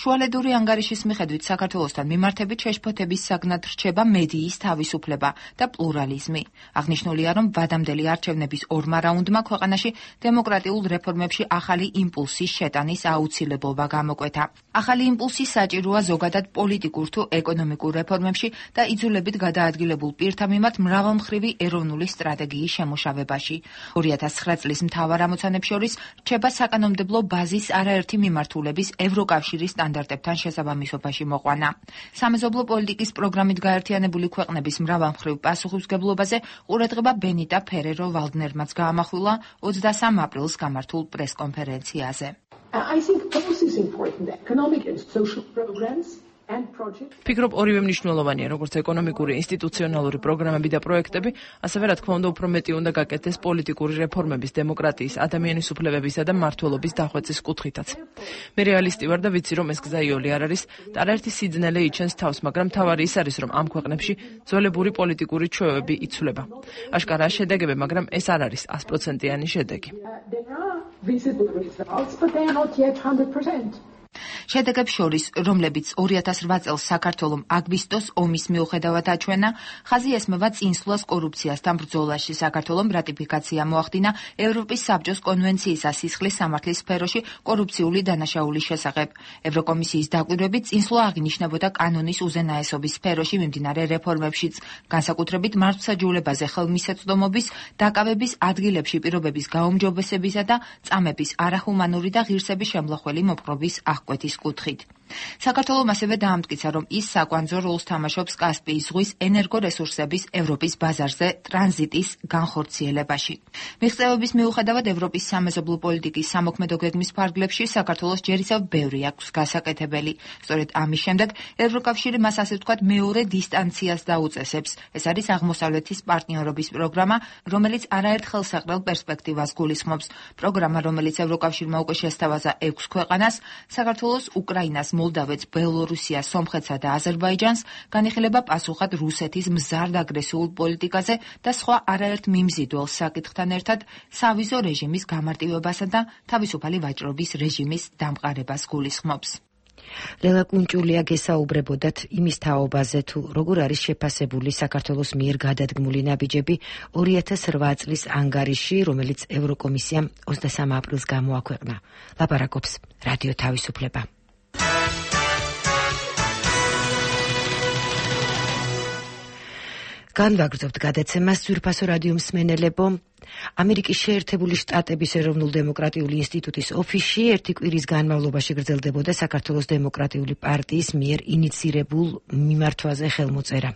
შუალედური ანგარიშის მიხედვით საქართველოსთან მიმართებით შეშფოთების საგნად რჩება მედიის თავისუფლება და პლურალიზმი. აღნიშნულია, რომ ვადამდელი არჩევნების ორმა რაუნდმა ქვეყანაში დემოკრატიულ რეფორმებში ახალი იმპულსის შეტანის აუცილებლობა გამოკვეთა. ახალი იმპულსი საჭიროა ზოგადად პოლიტიკურ თუ ეკონომიკურ რეფორმებში და იძულებით გადაადგილებულ პირთა მიმართ მრავალმხრივი ეროვნული სტრატეგიის შემუშავებაში. 2009 წლის მთავარ ამოცანებს შორის რჩება საკანონმდებლო ბაზის არაერთი მიმართულების ევროკავშირის სტანდარტებთან შესაბამისობაში მოყვანა. სამეზობლო პოლიტიკის პროგრამით გაერთიანებული ქვეყნების მრავალმხრივ პასუხისმგებლობაზე ყურადღება ბენიტა ფერერო-ვალდნერმაც გაამახვილა 23 აპრილს გამართულ პრესკონფერენციაზე. ფიქრობ, ორივე მნიშვნელოვანია, როგორც ეკონომიკური, ინსტიტუციონალური პროგრამები და პროექტები, ასევე რა თქმა უნდა, უფრო მეტი უნდა გაკეთდეს პოლიტიკური რეფორმების, დემოკრატიის, ადამიანის უფლებებისა და მმართველობის დახვეწის კუთხითაც. მე რეალისტი ვარ და ვიცი, რომ ეს გზა იოლი არ არის, და არაერთი სიძნელე იჩენს თავს, მაგრამ თავარი ის არის, რომ ამ ქვეყნებში ძველებური პოლიტიკური ჩვევები იცვლება. აშკარაა შედეგები, მაგრამ ეს არ არის 100%-იანი შედეგი. შედეგებს შორის, რომლებიც 2008 წელს საქართველოს აგვისტოს ომის მიუხედავად აჩვენა, ხაზი ესმევა წინსვლას კორუფციასთან ბრძოლაში. საქართველოს რატიფიკაცია მოახდინა ევროპის საბჭოს კონვენციის სისხლის სამართლის სფეროში კორუფციული დანაშაულის შესახებ. ევროკომისიის დაკვირვებით წინსვლა აღინიშნებოდა კანონის უზენაესობის სფეროში მიმდინარე რეფორმებშიც, განსაკუთრებით მართლმსაჯულებაზე ხელმისაწვდომობის, დაკავების ადგილებში პირობების გაუმჯობესებისა და წამების არახუმანური და ღირსების შემლახველი მოპყრობის კვეთის კუთხით. საქართველოს ასევე დაამტკიცა, რომ ის საკვანძო როლს თამაშობს კასპიის ზღვის ენერგორესურსების ევროპის ბაზარზე ტრანზიტის განხორციელებაში. მიღწევების მიუხედავად ევროპის სამეზობლო პოლიტიკის სამოქმედო გეგმის ფარგლებში საქართველოს ჯერ ისევ ბევრი აქვს გასაკეთებელი. სწორედ ამის შემდეგ ევროკავშირი მას ასე ვთქვათ მეორე დისტანციას დაუწესებს. ეს არის აღმოსავლეთის პარტნიორობის პროგრამა, რომელიც არაერთ ხელსაყრელ პერსპექტივას გულისხმობს. პროგრამა, რომელიც ევროკავშირმა უკვე შესთავაზა 6 ქვეყანას, საქართველოს, უკრაინას, მოლდავეთს, ბელორუსიას, სომხეთსა და აზერბაიჯანს, განიხილება პასუხად რუსეთის მზარდ აგრესიულ პოლიტიკაზე და სხვა არაერთ მიმზიდველ საკითხთან ერთად სავიზო რეჟიმის გამარტივებასა და თავისუფალი ვაჭრობის რეჟიმის დამყარებას გულისხმობს. ლელა კუნჭულია გესაუბრებოდათ იმის თაობაზე, თუ როგორ არის შეფასებული საქართველოს მიერ გადადგმული ნაბიჯები 2008 წლის ანგარიში, რომელიც ევროკომისიამ 23 აპრილს გამოაქვეყნა. ლაპარაკობს რადიო თავისუფლება. განვაგრძობთ გადაცემას ძვირფასო რადიო მსმენელებო. ამერიკის შეერთებული შტატების ეროვნულ დემოკრატიული ინსტიტუტის ოფისში ერთი კვირის განმავლობაში გრძელდებოდა საქართველოს დემოკრატიული პარტიის მიერ ინიცირებულ მიმართვაზე ხელმოწერა.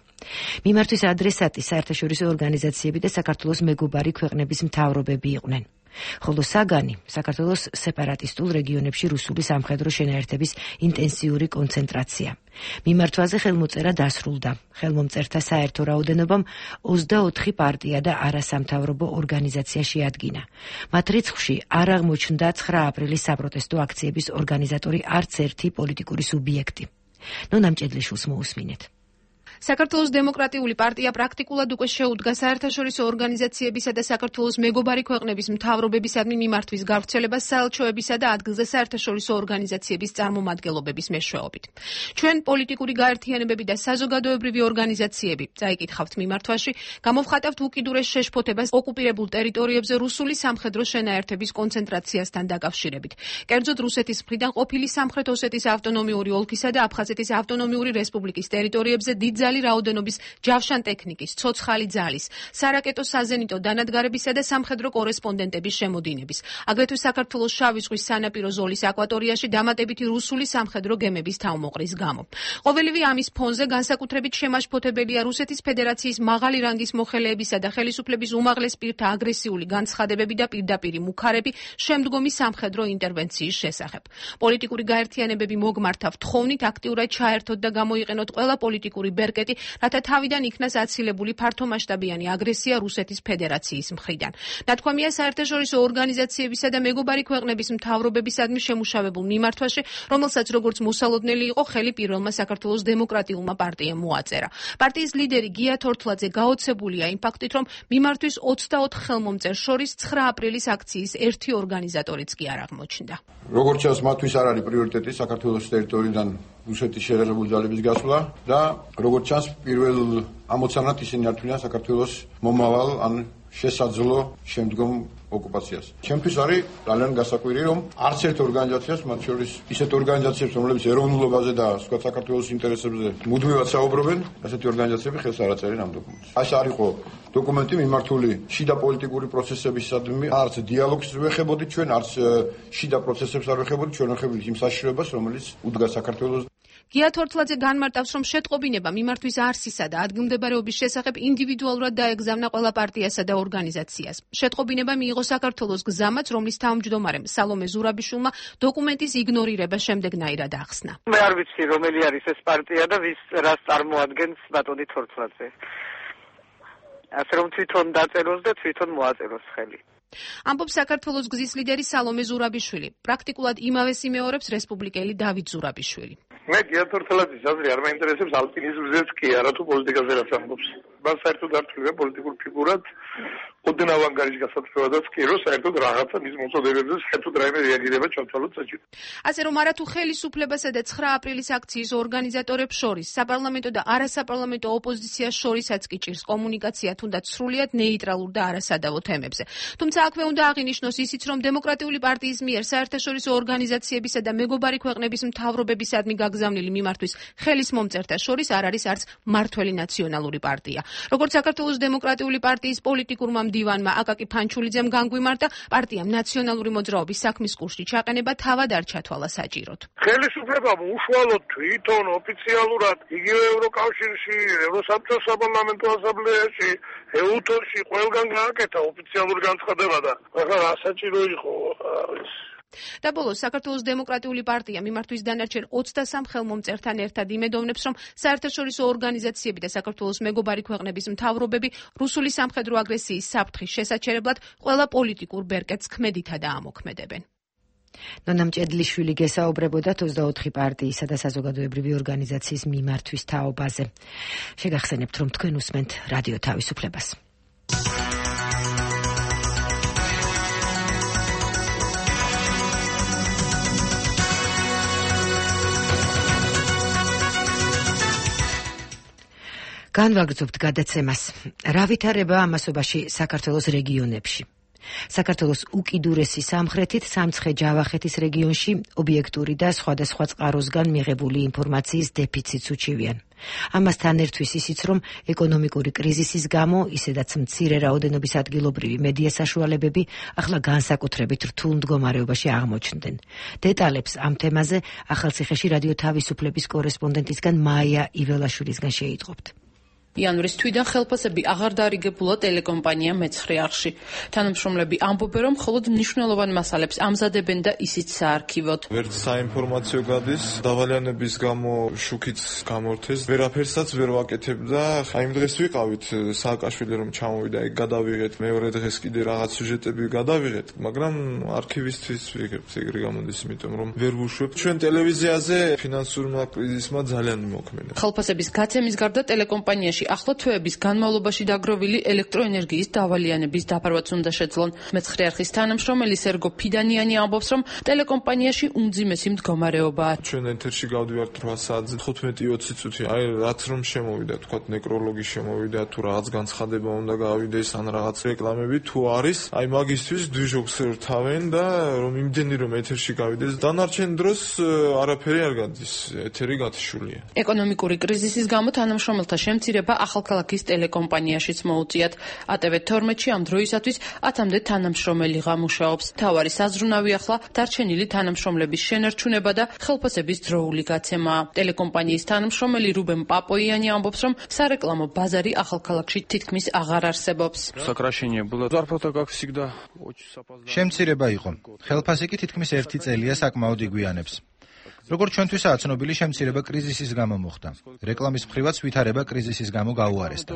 მიმართვის ადრესატი საერთაშორისო ორგანიზაციები და საქართველოს მეგობარი ქვეყნების მთავრობები იყვნენ. ხოლო საგანი საქართველოს სეპარატისტულ რეგიონებში რუსული სამხედრო შენაერთების ინტენსიური კონცენტრაცია. მიმართვაზე ხელმოწერა დასრულდა. ხელმომწერთა საერთო რაოდენობამ 24 პარტია და არასამთავრობო ორგანიზაცია შეადგინა. მათ რიცხვში არ აღმოჩნდა 9 აპრილის საპროტესტო აქციების ორგანიზატორი არც ერთი პოლიტიკური სუბიექტი. ნონა მჭედლიშვილს მოусმინეთ. საქართველოს დემოკრატიული პარტია პრაქტიკულად უკვე შეუდგა საერთაშორისო ორგანიზაციებისა და საქართველოს მეგობარი ქვეყნების მთავრობებისადმი მიმართვის გავრცელებას საელჩოებისა და ადგილზე საერთაშორისო ორგანიზაციების წარმომადგენლობების მეშვეობით. ჩვენ პოლიტიკური გაერთიანებები და საზოგადოებრივი ორგანიზაციები, წაიკითხავთ მიმართვაში, გამოვხატავთ უკიდურეს შეშფოთებას ოკუპირებულ ტერიტორიებზე რუსული სამხედრო შენაერთების კონცენტრაციასთან დაკავშირებით. კერძოდ რუსეთის მხრიდან ყოფილი სამხრეთ ოსეთის ავტონომიური ოლქისა და აფხაზეთის ავტონომიური რესპუბლიკის ტერიტორიებზე დიდძალი რაოდენობის ჯავშან ტექნიკის, ცოცხალი ძალის, სარაკეტო საზენიტო დანადგარებისა და სამხედრო კორესპონდენტების შემოდინების, აგრეთვე საქართველოს შავი ზღვის სანაპირო ზოლის აკვატორიაში დამატებითი რუსული სამხედრო გემების თავმოყრის გამო. ყოველივე ამის ფონზე განსაკუთრებით შემაშფოთებელია რუსეთის ფედერაციის მაღალი რანგის მოხელეებისა და ხელისუფლების უმაღლეს პირთა აგრესიული განცხადებები და პირდაპირი მუქარები შემდგომი სამხედრო ინტერვენციის შესახებ. პოლიტიკური გაერთიანებები მოგმართავთ თხოვნით აქტიურად ჩაერთოთ და გამოიყენოთ ყველა პოლიტიკური ბერკეტი, რათა თავიდან იქნას აცილებული ფართომასშტაბიანი აგრესია რუსეთის ფედერაციის მხრიდან. ნათქვამია საერთაშორისო ორგანიზაციებისა და მეგობარი ქვეყნების მთავრობებისადმი შემუშავებულ მიმართვაში, რომელსაც როგორც მოსალოდნელი იყო ხელი პირველმა საქართველოს დემოკრატიულმა პარტიამ მოაწერა. პარტიის ლიდერი გია თორთლაძე გაოცებულია იმ ფაქტით, რომ მიმართვის 24 ხელმომწერს შორის 9 აპრილის აქციის ერთი ორგანიზატორიც კი არ აღმოჩნდა. როგორც ჩანს, მათთვის არ არის პრიორიტეტი საქართველოს ტერიტორიიდან რუსეთის შეერაღებული ძალების გასვლა და როგორც ჩანს, პირველ ამოცანად ისინი ართვიან საქართველოს მომავალ ან შესაძლო შემდგომ ოკუპაციას. ჩემთვის არის ძალიან გასაკვირი, რომ არც ერთ ორგანიზაციას, მათ შორის ისეთ ორგანიზაციებს, რომლებიც ეროვნულობაზე და სხვა საქართველოს ინტერესებზე მუდმივად საუბრობენ, ასეთი ორგანიზაციები ხელს არ აწერენ ამ დოკუმენტს. ეს არ იყო დოკუმენტი მიმართული შიდა პოლიტიკური პროცესებისადმი, არც დიალოგს ვეხებოდით ჩვენ, არც შიდა პროცესებს არ ვეხებოდით, ჩვენ ვეხებოდით იმ საშიშროებას, რომელიც უდგა საქართველოს. გია თორთლაძე განმარტავს, რომ შეტყობინება მიმართვის არსისა და ადგილმდებარეობის შესახებ ინდივიდუალურად დაეგზავნა ყველა პარტიასა და ორგანიზაციას. შეტყობინება მიიღო საქართველოს გზამაც, რომლის თავმჯდომარემ სალომე ზურაბიშვილმა დოკუმენტის იგნორირება შემდეგნაირად ახსნა. მე არ ვიცი, რომელი არის ეს პარტია და ვის რას წარმოადგენს ბატონი თორთლაძე. ასე რომ თვითონ დაწეროს და თვითონ მოაწეროს ხელი. ამბობს საქართველოს გზის ლიდერი სალომე ზურაბიშვილი. პრაქტიკულად იმავეს იმეორებს რესპუბლიკელი დავით ზურაბიშვილი. მე გია თორთლაძის აზრი არ მაინტერესებს ალპინიზმზეც კი არა თუ პოლიტიკაზე რაც ამბობს. მას საერთოდ არ თვლია პოლიტიკურ ფიგურად, ოდნავ ანგარიშ გასათხოვადაც კი რომ საერთოდ რაღაცა მის მოწოდებებზე საერთოდ რაიმე რეაგირება ჩავთვალოთ საჭირო. ასე რომ არათუ ხელისუფლებასა და 9 აპრილის აქციის ორგანიზატორებს შორის, საპარლამენტო და არასაპარლამენტო ოპოზიციას შორისაც კი ჭირს კომუნიკაცია თუნდაც სრულიად ნეიტრალურ და არასადავო თემებზე. თუმცა აქვე უნდა აღინიშნოს ისიც, რომ დემოკრატიული პარტიის მიერ საერთაშორისო ორგანიზაციებისა და მეგობარი ქვეყნების მთავრობებისადმი გაგზავნილი მიმართვის ხელის მომწერთა შორის არ არის არც მართველი ნაციონალური პარტია. როგორც საქართველოს დემოკრატიული პარტიის პოლიტიკურმა მდივანმა აკაკი ფანჩულიძემ განგვიმარტა, პარტიამ ნაციონალური მოძრაობის საქმის კურსში ჩაყენება თავად არ ჩათვალა საჭიროდ. ხელისუფლებამ უშუალოდ თვითონ ოფიციალურად იგივე ევროკავშირში, ევროსაბჭოს საპარლამენტო ასამბლეაში, ეუთოში ყველგან გააკეთა ოფიციალური განცხადება და ახლა რა საჭირო იყო ეს და ბოლოს საქართველოს დემოკრატიული პარტია მიმართვის დანარჩენ 23 ხელმომწერთან ერთად იმედოვნებს, რომ საერთაშორისო ორგანიზაციები და საქართველოს მეგობარი ქვეყნების მთავრობები რუსული სამხედრო აგრესიის საფრთხის შესაჩერებლად ყველა პოლიტიკურ ბერკეტს ქმედითა და ამოქმედებენ. ნონა მჭედლიშვილი გესაუბრებოდა 24 პარტიისა და საზოგადოებრივი ორგანიზაციის მიმართვის თაობაზე. შეგახსენებთ, რომ თქვენ უსმენთ რადიო თავისუფლებას. განვაგრძობთ გადაცემას. რა ვითარება ამასობაში საქართველოს რეგიონებში? საქართველოს უკიდურესი სამხრეთით სამცხე-ჯავახეთის რეგიონში ობიექტური და სხვადასხვა წყაროსგან მიღებული ინფორმაციის დეფიციტს უჩივიან. ამასთან ერთვის ისიც, რომ ეკონომიკური კრიზისის გამო, ისედაც მცირე რაოდენობის ადგილობრივი მედია საშუალებები ახლა განსაკუთრებით რთულ მდგომარეობაში აღმოჩნდნენ. დეტალებს ამ თემაზე ახალციხეში რადიო თავისუფლების კორესპონდენტისგან მაია იველაშვილისგან შეიტყობთ. იანვრის თვიდან ხელფასები აღარ დაარიგებულა ტელეკომპანია მეცხრე არხში. თანამშრომლები ამბობენ, რომ მხოლოდ მნიშვნელოვან მასალებს ამზადებენ და ისიც საარქივოდ. ვერც საინფორმაციო გადის, დავალიანების გამო შუქიც გამორთეს, ვერაფერსაც ვერ ვაკეთებდა. იმ დღეს ვიყავით სააკაშვილი რომ ჩამოვიდა, ეგ გადავიღეთ, მეორე დღეს კიდე რაღაც სიუჟეტები გადავიღეთ, მაგრამ არქივისტვის ვიღებთ, ეგრე გამოდის, იმიტომ რომ ვერ ვუშვებთ. ჩვენ ტელევიზიაზე ფინანსურმა კრიზისმა ძალიან მოქმედა. ხელფასების გაცემის გარდა ტელეკომპანიაში ახლა თვეების განმავლობაში დაგროვილი ელექტროენერგიის დავალიანების დაფარვაც უნდა შეძლონ. მეცხრე არხის თანამშრომელი სერგო ფიდანიანი ამბობს, რომ ტელეკომპანიაში უმძიმესი მდგომარეობაა. ჩვენ ეთერში გავდივართ 8 საათზე 15-20 წუთი, აი რაც რომ შემოვიდა, თქვა ნეკროლოგი შემოვიდა, თუ რაღაც განცხადება უნდა გავიდეს, ან რაღაც რეკლამები თუ არის, აი მაგისთვის დვიჟოქს რთავენ და რომ იმდენი რომ ეთერში გავიდეს, დანარჩენ დროს არაფერი არ გადის, ეთერი გათიშულია. ეკონომიკური კრიზისის გამო თანამშრომელთა შემცირება ახალქალაქის ტელეკომპანიაშიც მოუწიათ. ATV12-ში ამ დროისათვის 10-მდე თანამშრომელი მუშაობს. მთავარი საზრუნავი ახლა დარჩენილი თანამშრომლების შენარჩუნება და ხელფასების დროული გაცემაა. ტელეკომპანიის თანამშრომელი რუბენ პაპოიანი ამბობს, რომ სარეკლამო ბაზარი ახალქალაქში თითქმის აღარ არსებობს. შემცირება იყო. ხელფასი კი თითქმის 1 წელია საკმაოდ იგვიანებს. როგორც ჩვენთვისაა ცნობილი, შემცირება კრიზისის გამო მოხდა. რეკლამის მხრივაც ვითარება კრიზისის გამო გაუარესდა.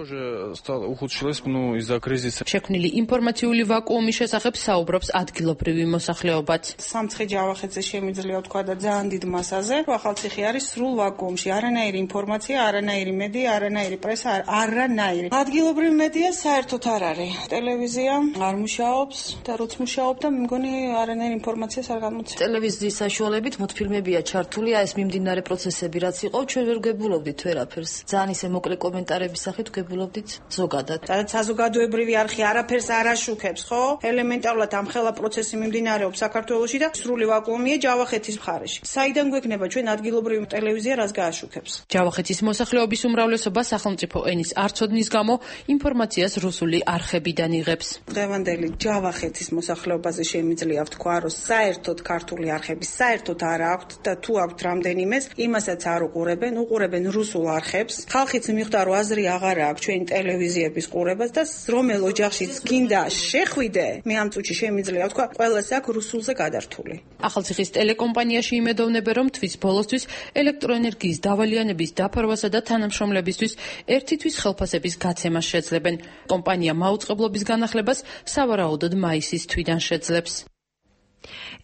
შექმნილი ინფორმაციული ვაკუუმის შესახებ საუბრობს ადგილობრივი მოსახლეობაც. სამცხე ჯავახეთზე შემიძლია ვთქვა და ძალიან დიდ მასაზე, რომ ახალციხე არის სრულ ვაკუუმში. არანაირი ინფორმაცია, არანაირი მედია, არანაირი პრესა, არანაირი. ადგილობრივი მედია საერთოდ არ არის. ტელევიზია არ მუშაობს და როც მუშაობდა, მე მგონი არანაირი ინფორმაციას არ გამოწევს. ტელევიზიის საშუალებით მოდფილმებია ჩართულია ეს მიმდინარე პროცესები, რაც იყო, ჩვენ ვერ გვგებულობდით ვერაფერს. ძალიან ისე მოკლე კომენტარების სახით გვგებულობდით ზოგადად. და საზოგადოებრივი არხი არაფერს არ აშუქებს, ხო? ელემენტარულად ამ ხელა პროცესი მიმდინარეობს საქართველოში და სრული ვაკუუმია ჯავახეთის მხარეში. საიდან გვექნება ჩვენ ადგილობრივი ტელევიზია, რაც გააშუქებს? ჯავახეთის მოსახლეობის უმრავლესობა სახელმწიფო ენის არ ცოდნის გამო ინფორმაციას რუსული არხებიდან იღებს. დღევანდელი ჯავახეთის მოსახლეობაზე შემიძლია ვთქვა, რომ საერთოდ ქართული არხები საერთოდ არ აქვთ და თუ აქვთ რამდენიმეს, იმასაც არ უყურებენ რუსულ არხებს. ხალხიც მიხვდა, რომ აზრი აღარ აქვს ჩვენი ტელევიზიების ყურებას და რომელ ოჯახშიც გინდა შეხვიდე, მე ამ წუთში შემიძლია ვთქვა, ყველას აქვს რუსულზე გადართული. ახალციხის ტელეკომპანიაში იმედოვნებენ, რომ თვის ბოლოსთვის ელექტროენერგიის დავალიანების დაფარვასა და თანამშრომლებისთვის ერთი თვის ხელფასების გაცემას შეძლებენ. კომპანია მაუწყებლობის განახლებას სავარაუდოდ მაისის თვიდან შეძლებს.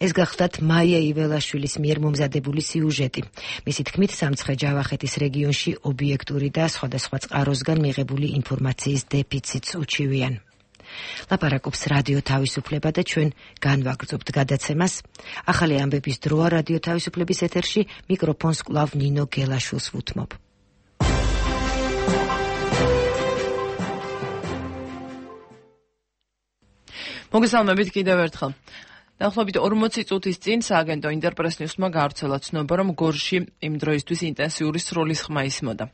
ეს გახლდათ მაია იველაშვილის მიერ მომზადებული სიუჟეტი. მისი თქმით, სამცხე ჯავახეთის რეგიონში ობიექტური და სხვადასხვა წყაროსგან მიღებული ინფორმაციის დეფიციტს უჩივიან. ლაპარაკობს რადიო თავისუფლება და ჩვენ განვაგრძობთ გადაცემას. ახალი ამბების დროა რადიო თავისუფლების ეთერში, მიკროფონს კვლავ ნინო გელაშვილს ვუთმობ. მოგესალმებით კიდევ ერთხელ. დაახლოებით 40 წუთის წინ სააგენტო ინტერპრეს ნიუსმა გაავრცელა ცნობა, რომ გორში იმ დროისთვის ინტენსიური სროლის ხმა ისმოდა.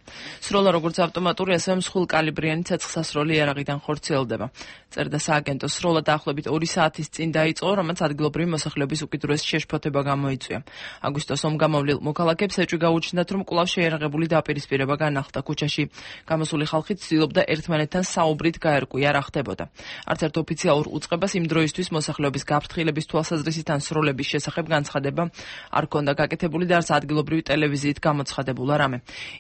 სროლა როგორც ავტომატური, ასევე მსხვილკალიბრიანი ცეცხლსასროლი იარაღიდან ხორციელდება. წერდა სააგენტო, სროლა დაახლოებით 2 საათის წინ დაიწყო, რომელიც ადგილობრივი მოსახლეობის უკიდურესი შეშფოთება გამოიწვია. აგვისტოს ომგამოვლილ მოქალაქეებს ეჭვი გაუჩნდათ, რომ კვლავ შეიარაღებული დაპირისპირება განახლდა. ქუჩაში გამოსული ხალხი ცდილობდა ერთმანეთთან საუბრით გაერკვია რა ხდებოდა. არც ერთ ოფიციალურ უწყებას იმ დროისთვის მოსახლეობის გაფრთხილების თვალსაზრისით ან სროლების შესახებ განცხადება არ ქონდა გაკეთებული და არც ადგილობრივი ტელევიზიით გამოცხადებულა რამე.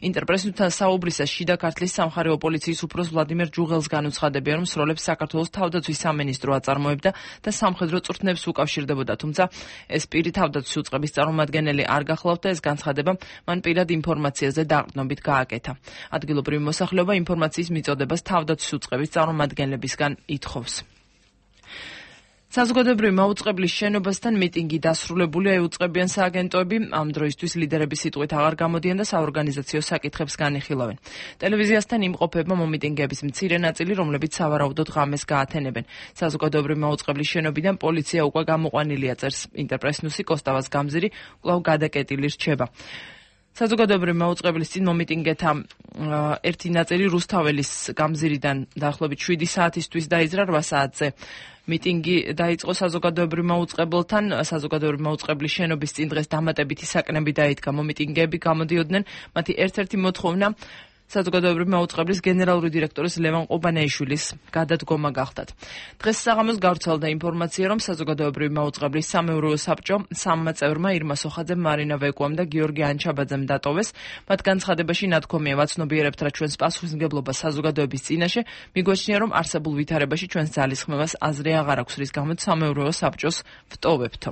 ინტერპრესთან საუბრისას შიდა ქართლის სამხარეო პოლიციის უფროს ვლადიმერ ჯუღელს განუცხადებია, რომ სროლებს საქართველოს თავდაცვის სამინისტრო აწარმოებდა და სამხედრო წვრთნებს უკავშირდებოდა, თუმცა ეს პირი თავდაცვის უწყების წარმომადგენელი არ გახლავთ და ეს განცხადება მან პირად ინფორმაციაზე დაყრდნობით გააკეთა. ადგილობრივი მოსახლეობა ინფორმაციის მიწოდებას თავდაცვის უწყების წარმომადგენლებისგან ითხოვს. საზოგადოებრივი მაუწყებლის შენობასთან მიტინგი დასრულებულია, ეუწყებიან სააგენტოები, ამ დროისთვის ლიდერების სიტყვით აღარ გამოდიან და საორგანიზაციო საკითხებს განიხილავენ. ტელევიზიასთან იმყოფება მომიტინგეების მცირე ნაწილი, რომლებიც სავარაუდოდ ღამეს გაათენებენ. საზოგადოებრივი მაუწყებლის შენობიდან პოლიცია უკვე გამოყვანილია, წერს ინტერპრეს ნიუსი, კოსტავას გამზირი კვლავ გადაკეტილი რჩება. საზოგადოებრივი მაუწყებლის წინ მომიტინგეთა ერთი ნაწილი რუსთაველის გამზირიდან დაახლოებით 7 საათისთვის დაიზრა 8 საათზე. მიტინგი დაიწყო საზოგადოებრივ მაუწყებელთან, საზოგადოებრივი მაუწყებლის შენობის წინ დღეს დამატებითი საკნები დაიდგა. მომიტინგეები გამოდიოდნენ, მათი ერთ-ერთი მოთხოვნა საზოგადოებრივი მაუწყებლის გენერალური დირექტორის ლევან ყუბანეიშვილის გადადგომა გახდათ. დღეს საღამოს გავრცელდა ინფორმაცია, რომ საზოგადოებრივი მაუწყებლის სამეურვეო საბჭო სამმა წევრმა ირმა სოხაძემ, მარინა ვეკუამ და გიორგი ანჩაბაძემ დატოვეს. მათ განცხადებაში ნათქვამია, ვაცნობიერებთ რა ჩვენს პასუხისმგებლობას საზოგადოების წინაშე, მიგვაჩნია, რომ არსებულ ვითარებაში ჩვენს ძალისხმევას აზრი აღარ აქვს, რის გამოც სამეურვეო საბჭოს ვტოვებთ.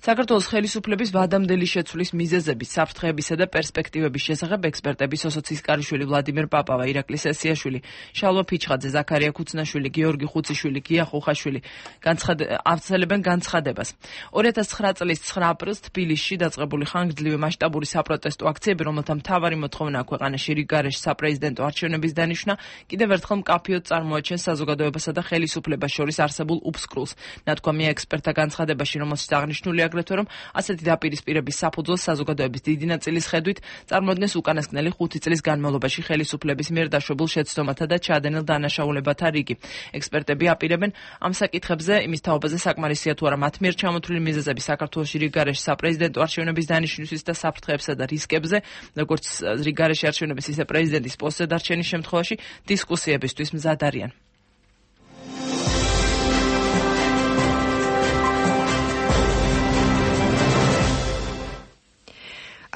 საქართველოს ხელისუფლების ვადამდელი შეცვლის მიზეზების, საფრთხეებისა და პერსპექტივების შესახებ ექსპერტები სოსო ცისკარიშვილი, ვლადიმერ პაპავა, ირაკლი სესიაშვილი, შალვა ფიჩხაძე, ზაქარია ქუცნაშვილი, გიორგი ხუციშვილი, გია ხუხაშვილი აცელებენ განცხადებას. 2009 წლის 9 აპრილს თბილისში დაწყებული ხანგრძლივი მასშტაბური საპროტესტო აქციები, რომელთა მთავარი მოთხოვნა ქვეყანაში რიგგარეშე საპრეზიდენტო არჩევნების დანიშვნა, კიდევ ერთხელ მკაფიოდ წარმოაჩენს საზოგადოებასა და ხელისუფლებას შორის არსებულ უბსკრულს. ნათქვამია ექსპერტთა განცხადებაში, რომელშიც აღნიშნული აგრეთვე, რომ ასეთი დაპირისპირების საფუძველს საზოგადოების დიდი ნაწილის ხედვით წარმოადგენს უკანასკნელი 5 წლის განმავლობაში ხელისუფლების მიერ დაშვებულ შეცდომათა და ჩაადენილ დანაშაულებათა რიგი. ექსპერტები აპირებენ ამ საკითხებზე იმის თაობაზე საკმარისია თუ არა მათ მიერ ჩამოთვლილი მიზეზები საქართველოში რიგგარეშე საპრეზიდენტო არჩევნების დანიშვნისთვის და საფრთხეებსა და რისკებზე, როგორც რიგგარეშე არჩევნების, ისე პრეზიდენტის პოსტზე დარჩენის შემთხვევაში დისკუსიებისთვის მზად არიან.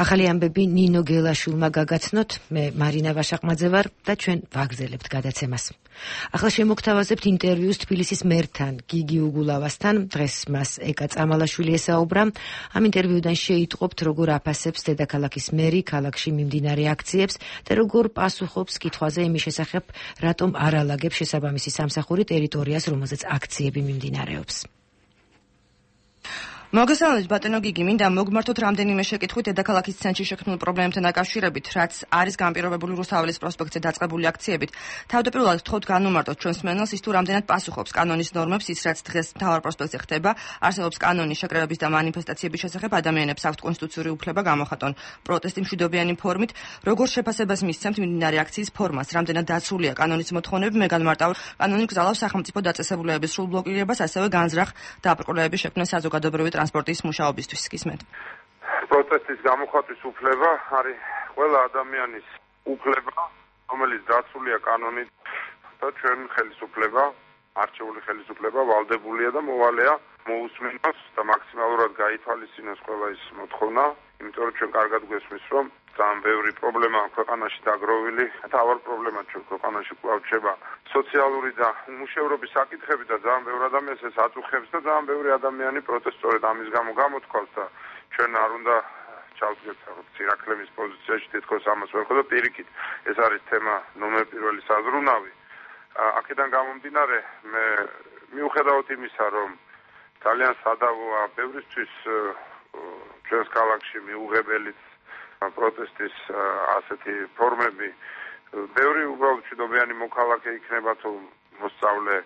ახალი ამბები ნინო გელაშვილმა გაგაცნოთ, მე მარინა ვაშაყმაძე ვარ და ჩვენ ვაგრძელებთ გადაცემას. ახლა შემოგთავაზებთ ინტერვიუს თბილისის მერთან, გიგი უგულავასთან. დღეს მას ეკა წამალაშვილი ესაუბრა. ამ ინტერვიუდან შეიტყობთ, როგორ აფასებს დედაქალაქის მერი ქალაქში მიმდინარე აქციებს და როგორ პასუხობს კითხვაზე იმის შესახებ, რატომ არ ალაგებს შესაბამისი სამსახური ტერიტორიას, რომელზეც აქციები მიმდინარეობს. მოგესალმებით ბატონო გიგი, მინდა მოგმართოთ რამდენიმე შეკითხვით დედაქალაქის ცენტრში შექმნილ პრობლემებთან დაკავშირებით, რაც არის განპირობებული რუსთაველის პროსპექტზე დაწყებული აქციებით. თავდაპირველად ვთხოვთ განუმარტოთ ჩვენს მსმენელს ის თუ რამდენად პასუხობს კანონის ნორმებს, ის რაც დღეს მთავარ პროსპექტზე ხდება, არსებობს კანონის შეკრებების და მანიფესტაციების შესახებ, ადამიანებს აქვთ კონსტიტუციური უფლება გამოხატონ პროტესტი მშვიდობიანი ფორმით, როგორ შეფასებას მისცემთ მიმდინარე აქციის ფორმას, რამდენად დაცულია კანონის მოთხოვნები, მე განმარტავ კანონი გზავნავს სახელმწიფო დაწესებულებების სრულ ბლოკირებას, ასევე განზრახ დაბრკოლების შექმნას საზოგადოებრივი ტრანსპორტის მუშაობისთვის. გისმენთ. პროტესტის გამოხატვის უფლება არის ყველა ადამიანის უფლება, რომელიც დაცულია კანონით და ჩვენ ხელისუფლება, არჩეული ხელისუფლება ვალდებულია და მოვალეა მოусმინოს და მაქსიმალურად გაითვალისწინოს ყველა ის მოთხოვნა, იმიტომ რომ ჩვენ კარგად გვესმის, რომ ძალიან ბევრი პრობლემა ქვეყანაში დაგროვილი, თავარ პრობლემა ჩვენ ქვეყანაში კვლავ რჩება სოციალური და უმუშევრობის საკითხები და ძალიან ბევრი ადამიანს ეს აწუხებს და ძალიან ბევრი ადამიანი პროტესტორად ამის გამო გამოთქვამს და ჩვენ არ უნდა ჩავდგეთ ცირაქლემის პოზიციაში, თითქოს ამას ვერ ხედავ პირიქით. ეს არის თემა ნომერ პირველი საზრუნავი. აქედან გამომდინარე, მე მიუხედავად იმისა, რომ ძალიან სადავოა ბევრისთვის ჩვენს ქალაქში მიუღებელიც პროტესტის ასეთი ფორმები, ბევრი უბრალოდ მშვიდობიანი მოქალაქე იქნება თუ მოსწავლე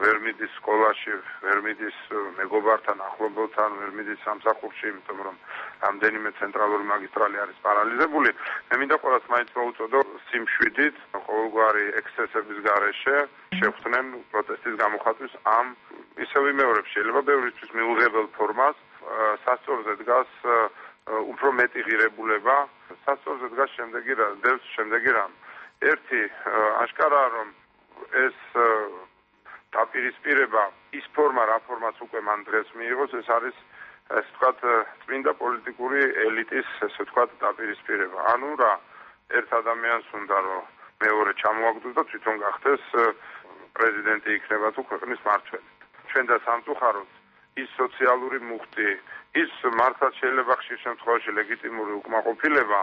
ვერ მიდის სკოლაში, ვერ მიდის მეგობართან, ახლობელთან, ვერ მიდის სამსახურში, იმიტომ რომ რამდენიმე ცენტრალური მაგისტრალი არის პარალიზებული. მე მინდა ყველას მაინც მოუწოდო სიმშვიდით, ყოველგვარი ექსცესების გარეშე შეხვდნენ პროტესტის გამოხატვის ამ ისე ვიმეორებ, შეიძლება ბევრისთვის მიუღებელ ფორმას, სასწორზე დგას უფრო მეტი ღირებულება, სასწორზე დგას შემდეგი რამ. ერთი აშკარაა, რომ ეს დაპირისპირება ის ფორმა, რა ფორმაც უკვე მან დღეს მიიღოს, ეს არის ესე ვთქვათ წმინდა პოლიტიკური ელიტის ესე ვთქვათ დაპირისპირება. ანუ რა, ერთ ადამიანს უნდა რომ მეორე ჩამოაგდოს და თვითონ გახდეს პრეზიდენტი იქნება თუ ქვეყნის მმართველი. ჩვენ და სამწუხაროდ ის სოციალური მუხტი, ის მართლაც შეიძლება ხშირ შემთხვევაში ლეგიტიმური უკმაყოფილება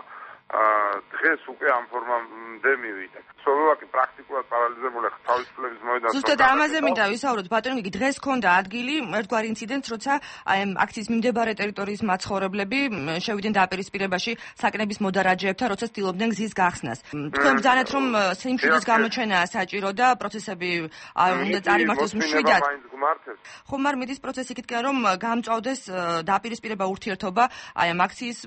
დღეს უკვე ამ ფორმამდე მივიდა. სლოვაკი პრაქტიკულად პარალიზებული თავისუფლების მოედანს. ზუსტად ამაზე მინდა ვისაუბროთ, ბატონო გიგი, დღეს ჰქონდა ადგილი ერთგვარი ინციდენტს, როცა აი ამ აქციის მიმდებარე ტერიტორიის მაცხოვრებლები შევიდნენ დაპირისპირებაში საკნების მოდარაჯეებთან, როცა ცდილობდნენ გზის გახსნას. თქვენ ბრძანეთ, რომ სიმშვიდის გამოჩენაა საჭირო და პროცესები უნდა წარიმართოს მშვიდად. ხო, მაგრამ მიდის პროცესი იქითკენ, რომ გამწვავდეს დაპირისპირება ურთიერთობა აი ამ აქციის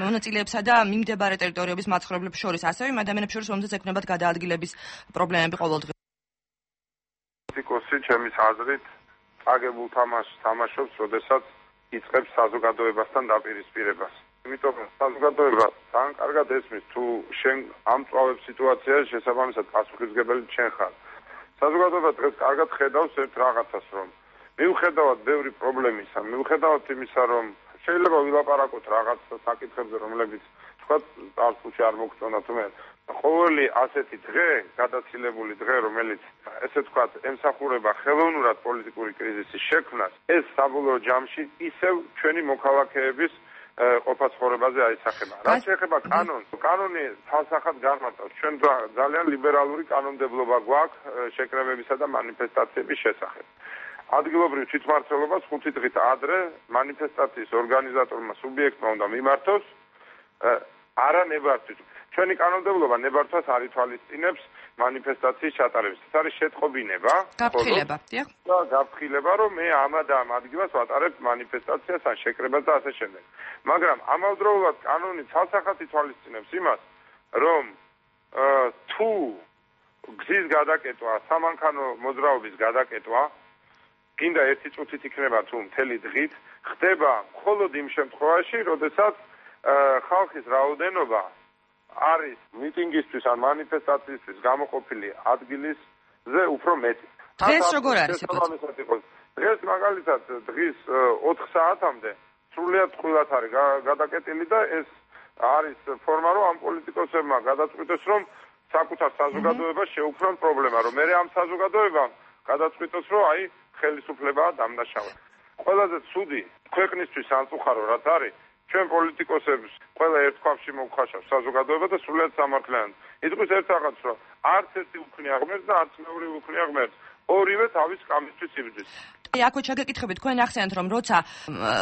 მონაწილეებსა და მიმდებარე ტერიტორიების მაცხოვრებლებს შორის, ასევე იმ ადამიანებს შორის, რომელთაც ექნებათ გადაადგილების პრობლემები ყოველდღიურად. პოლიტიკოსი ჩემის აზრით აგებულ თამაშს თამაშობს, როდესაც იწყებს საზოგადოებასთან დაპირისპირებას. იმიტომ რომ საზოგადოება თან კარგად ესმის თუ შენ ამწვავებ სიტუაციაში შესაბამისად პასუხისმგებელი შენ ხარ. საზოგადოება დღეს კარგად ხედავს ერთ რაღაცას, რომ მიუხედავად ბევრი პრობლემისა, მიუხედავად იმისა, რომ შეიძლება ვილაპარაკოთ რაღაც საკითხებზე, რომლებიც თქვა წარსულში არ მოგწონა თუმცა ყოველი ასეთი დღე, გადაცილებული დღე, რომელიც ესე ვთქვათ, ემსახურება ხელოვნურად პოლიტიკური კრიზისის შექმნას, ეს საბოლოო ჯამში ისევ ჩვენი მოქალაქეების ყოფაცხოვრებაზე აისახება. რაც შეეხება კანონს, კანონი თვალსახად განმარტავს. ჩვენ ძალიან ლიბერალური კანონმდებლობა გვაქვს შეკრებებისა და მანიფესტაციების შესახებ. ადგილობრივ თვითმმართველობას 5 დღით ადრე მანიფესტაციის ორგანიზატორმა სუბიექტმა უნდა მიმართოს არა ნებართვით. ჩვენი კანონმდებლობა ნებართვას არ ითვალისწინებს მანიფესტაციის ჩატარებას. ეს არის შეტყობინება, გაფრთხილება, დიახ. და გაფრთხილება, რომ მე ამ ადგილას ვატარებ მანიფესტაციას ან შეკრებას და ასე შემდეგ. მაგრამ ამავდროულად კანონი ცალსახად ითვალისწინებს იმას, რომ თუ გზის გადაკეტვა, სამანქანო მოძრაობის გადაკეტვა გინდა ერთი წუთით იქნება თუ მთელი დღით, ხდება მხოლოდ იმ შემთხვევაში, როდესაც ხალხის რაოდენობა არის მიტინგისთვის ან მანიფესტაციისთვის გამოყოფილი ადგილისზე უფრო მეტი. დღეს როგორ არის? დღეს მაგალითად დღის 4 საათამდე სრულიად წყვილად არის გადაკეტილი და ეს არის ფორმა, რომ ამ პოლიტიკოსებმა გადაწყვიტეს, რომ საკუთარ საზოგადოებას შეუქმნან პრობლემა, რომ მე ამ საზოგადოებამ გადაწყვიტოს, რომ აი ხელისუფლებაა დამნაშავე. ყველაზე ცუდი ქვეყნისთვის ანწუხარო რაც არის, ჩვენ პოლიტიკოსებს ყველა ერთ ქვაბში მოგხაშავს საზოგადოება და სრულიად სამართლიანად. იტყვის ერთ რაღაცს, რომ არც ერთი უქმნია ღმერთს და არც მეორე უქმნია ღმერთს. ორივე თავის კამისთვის იბრძვის. აქვე ჩაგეკითხებით, თქვენ ახსენეთ, რომ როცა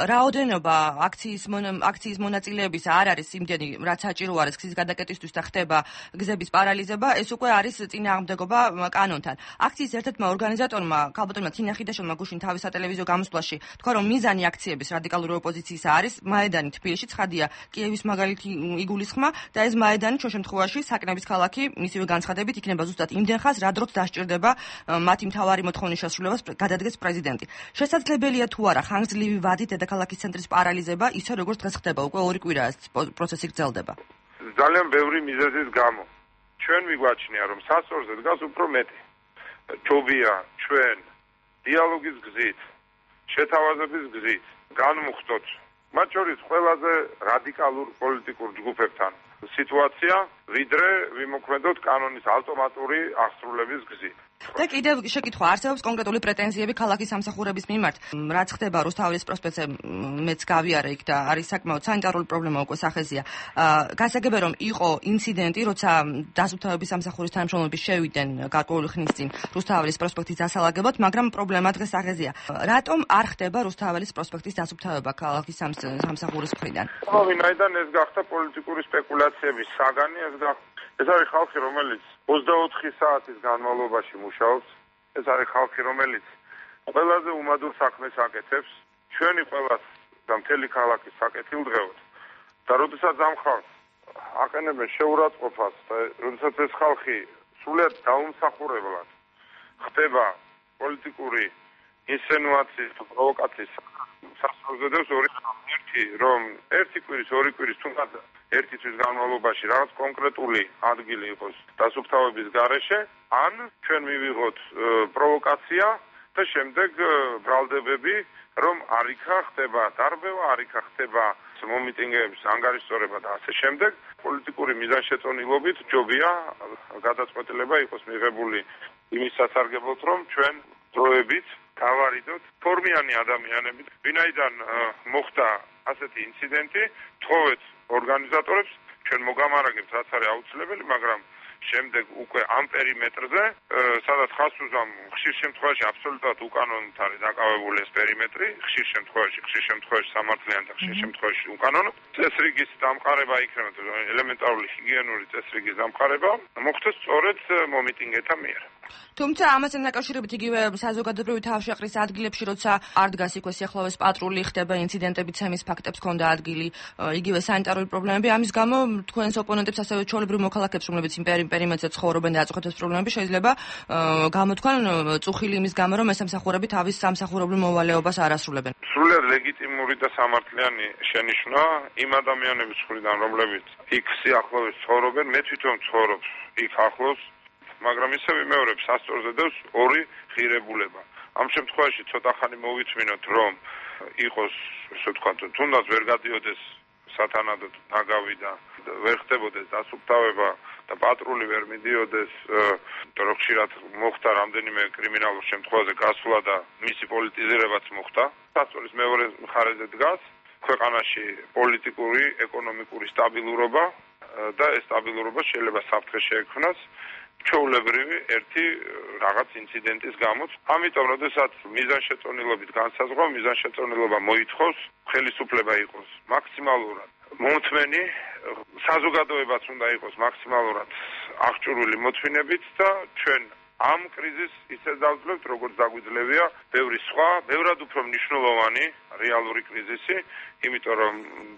რაოდენობა აქციის მონაწილეების არ არის იმდენი, რაც საჭირო არის გზის გადაკეტისთვის და ხდება გზების პარალიზება, ეს უკვე არის წინააღმდეგობა კანონთან. აქციის ერთ-ერთმა ორგანიზატორმა, ქალბატონმა თინა ხიდაშვილმა გუშინ თავის სატელევიზიო გამოსვლაში თქვა, რომ მიზანი აქციების რადიკალური ოპოზიციისა არის მაედანი თბილისში, ცხადია კიევის მაგალითი იგულისხმა და ეს მაედანი ჩვენ შემთხვევაში საკნების ქალაქი მისივე განცხადებით იქნება ზუსტად იმდენ ხანს, რა დროც დასჭირდება მათი მთავარი მოთხოვნის შესრულებას გადადგეს პრეზიდენტი. შესაძლებელია თუ არა ხანგრძლივი ვადით დედაქალაქის ცენტრის პარალიზება, ისე როგორც დღეს ხდება, უკვე 2 კვირაა პროცესი გრძელდება. ძალიან ბევრი მიზეზის გამო. ჩვენ მიგვაჩნია, რომ სასწორზე დგას უფრო მეტი. ჯობია ჩვენ დიალოგის გზით, შეთავაზების გზით განმუხტოთ მათ შორის ყველაზე რადიკალურ პოლიტიკურ ჯგუფებთან სიტუაცია, ვიდრე ვიმოქმედოთ კანონის ავტომატური აღსრულების გზით. და კიდევ შეკითხვა, არსებობს კონკრეტული პრეტენზიები ქალაქის სამსახურების მიმართ, რაც ხდება რუსთაველის პროსპექტზე, მეც გავიარე იქ და არის საკმაოდ სანიტარული პრობლემა უკვე სახეზია. გასაგებია რომ იყო ინციდენტი, როცა დასუფთავების სამსახურის თანამშრომლები შევიდნენ გარკვეული ხნის წინ რუსთაველის პროსპექტის დასალაგებლად, მაგრამ პრობლემა დღეს სახეზია. რატომ არ ხდება რუსთაველის პროსპექტის დასუფთავება ქალაქის სამსახურის მხრიდან? ვინაიდან ეს გახდა პოლიტიკური სპეკულაციების საგანი, ეს არის ხალხი, რომელიც 24 საათის განმავლობაში მუშაობს. ეს არის ხალხი, რომელიც ყველაზე უმადურ საქმეს აკეთებს. ჩვენი ყველას და მთელი ქალაქის საკეთილდღეოდ. და როდესაც ამ ხალხს აყენებენ შეურაცხყოფას და როდესაც ეს ხალხი სრულიად დაუმსახურებლად ხდება პოლიტიკური ინსცენუაციის და პროვოკაციის სასწაულზედებს ერთი კვირის, 2 კვირის თუნდაც ერთი თვის განმავლობაში რაღაც კონკრეტული ადგილი იყოს დასუფთავების გარეშე, ან ჩვენ მივიღოთ პროვოკაცია და შემდეგ ბრალდებები, რომ არიქა ხდება დარბევა, არიქა ხდება მომიტინგეების ანგარიშწორება და ასე შემდეგ. პოლიტიკური მიზანშეწონილობით ჯობია გადაწყვეტილება იყოს მიღებული იმის სასარგებლოდ, რომ ჩვენ დროებით გავარიდოთ ფორმიანი ადამიანებით, ვინაიდან მოხდა ასეთი ინციდენტი, თხოვეთ ორგანიზატორებს, ჩვენ მოგამარაგებთ, რაც არის აუცილებელი, მაგრამ შემდეგ უკვე ამ პერიმეტრზე, სადაც ხას უზამ ხშირ შემთხვევაში აბსოლუტურად უკანონოდ არის დაკავებული ეს პერიმეტრი, ხშირ შემთხვევაში სამართლიანი და ხშირ შემთხვევაში უკანონო. წესრიგის დამყარება იქნება, ელემენტარული ჰიგიენური წესრიგის დამყარება მოხდეს სწორედ მომიტინგეთა მიერ. თუმცა ამასთან დაკავშირებით იგივე საზოგადოებრივი თავშეყრის ადგილებში, როცა არ დგას იქვე სიახლოვეს პატრული, ხდება ინციდენტები, ცემის ფაქტებს ჰქონდა ადგილი, იგივე სანიტარული პრობლემები, ამის გამო თქვენს ოპონენტებს ასევე ჩვეულებრივ მოქალაქეებს, რომლებიც იმ პერიმეტრზე ცხოვრობენ და აწუხებთ ეს პრობლემები, შეიძლება გამოთქვან წუხილი იმის გამო, რომ ეს სამსახურები თავის სამსახურებრივ მოვალეობას არ ასრულებენ. სრულიად ლეგიტიმური და სამართლიანი შენიშვნა იმ ადამიანების მხრიდან, რომლებიც იქ სიახლოვეს ცხოვრობენ, მე თვითონ ცხოვრობ იქ ახლოს, მაგრამ ისე ვიმეორებ, სასწორზე დევს ორი ღირებულება. ამ შემთხვევაში ცოტა ხანი მოვიწმინოთ, რომ იყოს, ასე ვთქვათ, თუნდაც ვერ გადიოდეს სათანადოდ ნაგავი და ვერ ხდებოდეს დასუფთავება და პატრული ვერ მიდიოდეს, რომ ხშირად მოხდა რამდენიმე კრიმინალურ შემთხვევაზე გასვლა და მისი პოლიტიზირებაც მოხდა. სასწორის მეორე მხარეზე დგას ქვეყანაში პოლიტიკური, ეკონომიკური სტაბილურობა და ეს სტაბილურობა შეიძლება საფრთხე შეექმნას ჩვეულებრივი ერთი რაღაც ინციდენტის გამო. ამიტომ, როდესაც მიზანშეწონილობით განსაზღვრა, მიზანშეწონილობა მოითხოვს, ხელისუფლება იყოს მაქსიმალურად მომთმენი, საზოგადოებაც უნდა იყოს მაქსიმალურად აღჭურვილი მოთმინებით და ჩვენ ამ კრიზისს ისე დავძლევთ, როგორც დაგვიძლევია ბევრი სხვა, ბევრად უფრო მნიშვნელოვანი რეალური კრიზისი, იმიტომ რომ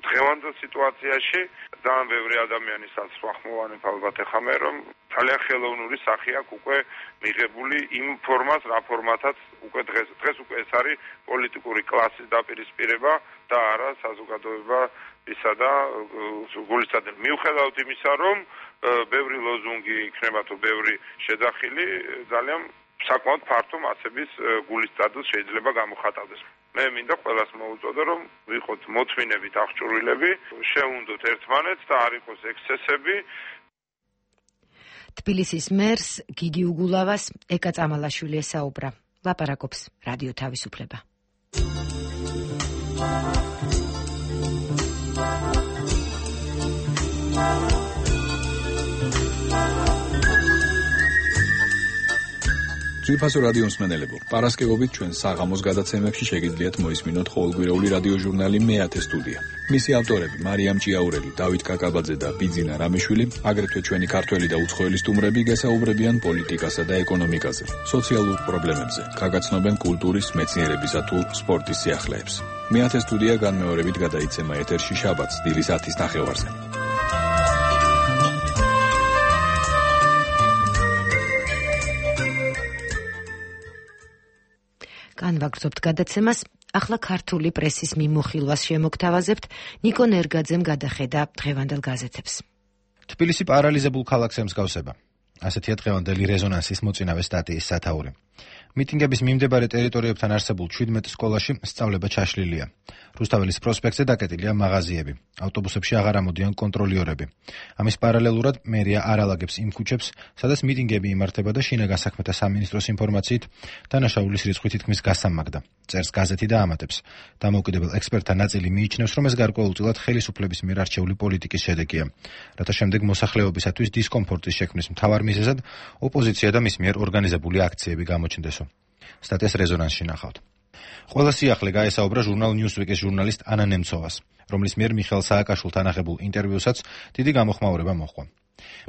დღევანდელ სიტუაციაში ძალიან ბევრი ადამიანი საცხვახმოვანებ ალბათ ეხამე, რომ ძალიან ხელოვნური სახე აქვს უკვე მიღებული იმ ფორმას, რა ფორმათაც უკვე დღეს უკვე ეს არის პოლიტიკური კლასის დაპირისპირება და არა საზოგადოებისა და გულისწყდება. მიუხედავად იმისა, რომ ბევრი ლოზუნგი იქნება თუ ბევრი შეძახილი, ძალიან საკმაოდ ფართო მასების გულისწყდას შეიძლება გამოხატავდეს. მე მინდა ყველას მოუწოდო, რომ ვიყოთ მოთმინებით აღჭურვილები, შევუნდოთ ერთმანეთს და არ იყოს ექსცესები. თბილისის მერს გიგი უგულავას ეკა წამალაშვილი ესაუბრა. ლაპარაკობს რადიო თავისუფლება. ძვირფასო რადიო მსმენელებო, პარასკევობით ჩვენ საღამოს გადაცემებში შეგიძლიათ მოისმინოთ ყოველკვირეული რადიო ჟურნალი მეათე სტუდია. მისი ავტორები მარიამ ჭიაურელი, დავით კაკაბაძე და ბიძინა რამიშვილი, აგრეთვე ჩვენი ქართველი და უცხოელი სტუმრები გასაუბრებიან პოლიტიკასა და ეკონომიკაზე, სოციალურ პრობლემებზე, გაგაცნობენ კულტურის, მეცნიერებისა თუ სპორტის სიახლეებს. მეათე სტუდია განმეორებით გადაიცემა ეთერში შაბათს დილის 10-ის ნახევარზე. განვაგრძობთ გადაცემას, ახლა ქართული პრესის მიმოხილვას შემოგთავაზებთ, ნიკო ნერგაძემ გადახედა დღევანდელ გაზეთებს. თბილისი პარალიზებულ ქალაქს ემსგავსება. ასეთია დღევანდელი რეზონანსის მოწინავე სტატიის სათაური. მიტინგების მიმდებარე ტერიტორიებთან არსებულ 17 სკოლაში სწავლება ჩაშლილია. რუსთაველის პროსპექტზე დაკეტილია მაღაზიები. ავტობუსებში აღარ ამოდიან კონტროლიორები. ამის პარალელურად მერია არ ალაგებს იმ ქუჩებს, სადაც მიტინგები იმართება და შინაგან საქმეთა სამინისტროს ინფორმაციით დანაშაულის რიცხვი თითქმის გასამაგდა. წერს გაზეთი და ამატებს. დამოუკიდებელ ექსპერტთა ნაწილი მიიჩნევს, რომ ეს გარკვეულწილად ხელისუფლების მიერ არჩეული პოლიტიკის შედეგია, რათა შემდეგ მოსახლეობისათვის დისკომფორტის შექმნის მთავარ მიზეზად ოპოზიცია და მის მიერ ორგანიზებული აქციები გამოჩნდესო. სტატიას რეზონანსში ნახავთ. ყველა სიახლე გაესაუბრა ჟურნალ ნიუსვიკის ჟურნალისტ ანა ნემცოვას, რომლის მიერ მიხეილ სააკაშვილთან აღებულ ინტერვიუსაც დიდი გამოხმაურება მოჰყვა.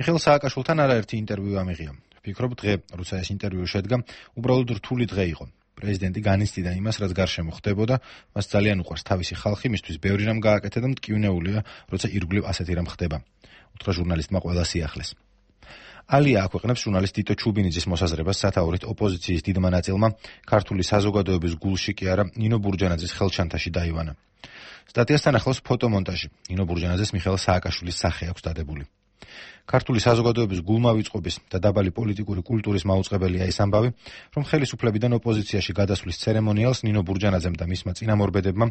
მიხეილ სააკაშვილთან არაერთი ინტერვიუ ამიღია. ვფიქრობ, დღე, როცა ეს ინტერვიუ შედგა, უბრალოდ რთული დღე იყო. პრეზიდენტი განიცდიდა იმას, რაც გარშემო ხდებოდა, მას ძალიან უყვარს თავისი ხალხი, მისთვის ბევრი რამ გააკეთა და მტკივნეულია, როცა ირგვლივ ასეთი რამ ხდება. უთხრა ჟურნალისტმა ყველა სიახლეს. ალია აქვეყნებს ჟურნალისტ ტიტო ჩუბინიძის მოსაზრებას სათაურით ოპოზიციის დიდმა ნაწილმა ქართული საზოგადოების გულში კი არა ნინო ბურჯანაძის ხელჩანთაში დაივანა. სტატიასთან ახლავს ფოტომონტაჟი. ნინო ბურჯანაძეს მიხეილ სააკაშვილის სახე აქვს დადებული. ქართული საზოგადოების გულმავიწყობის და დაბალი პოლიტიკური კულტურის მაუწყებელია ის ამბავი, რომ ხელისუფლებიდან ოპოზიციაში გადასვლის ცერემონიალს ნინო ბურჯანაძემ და მისმა წინამორბედებმა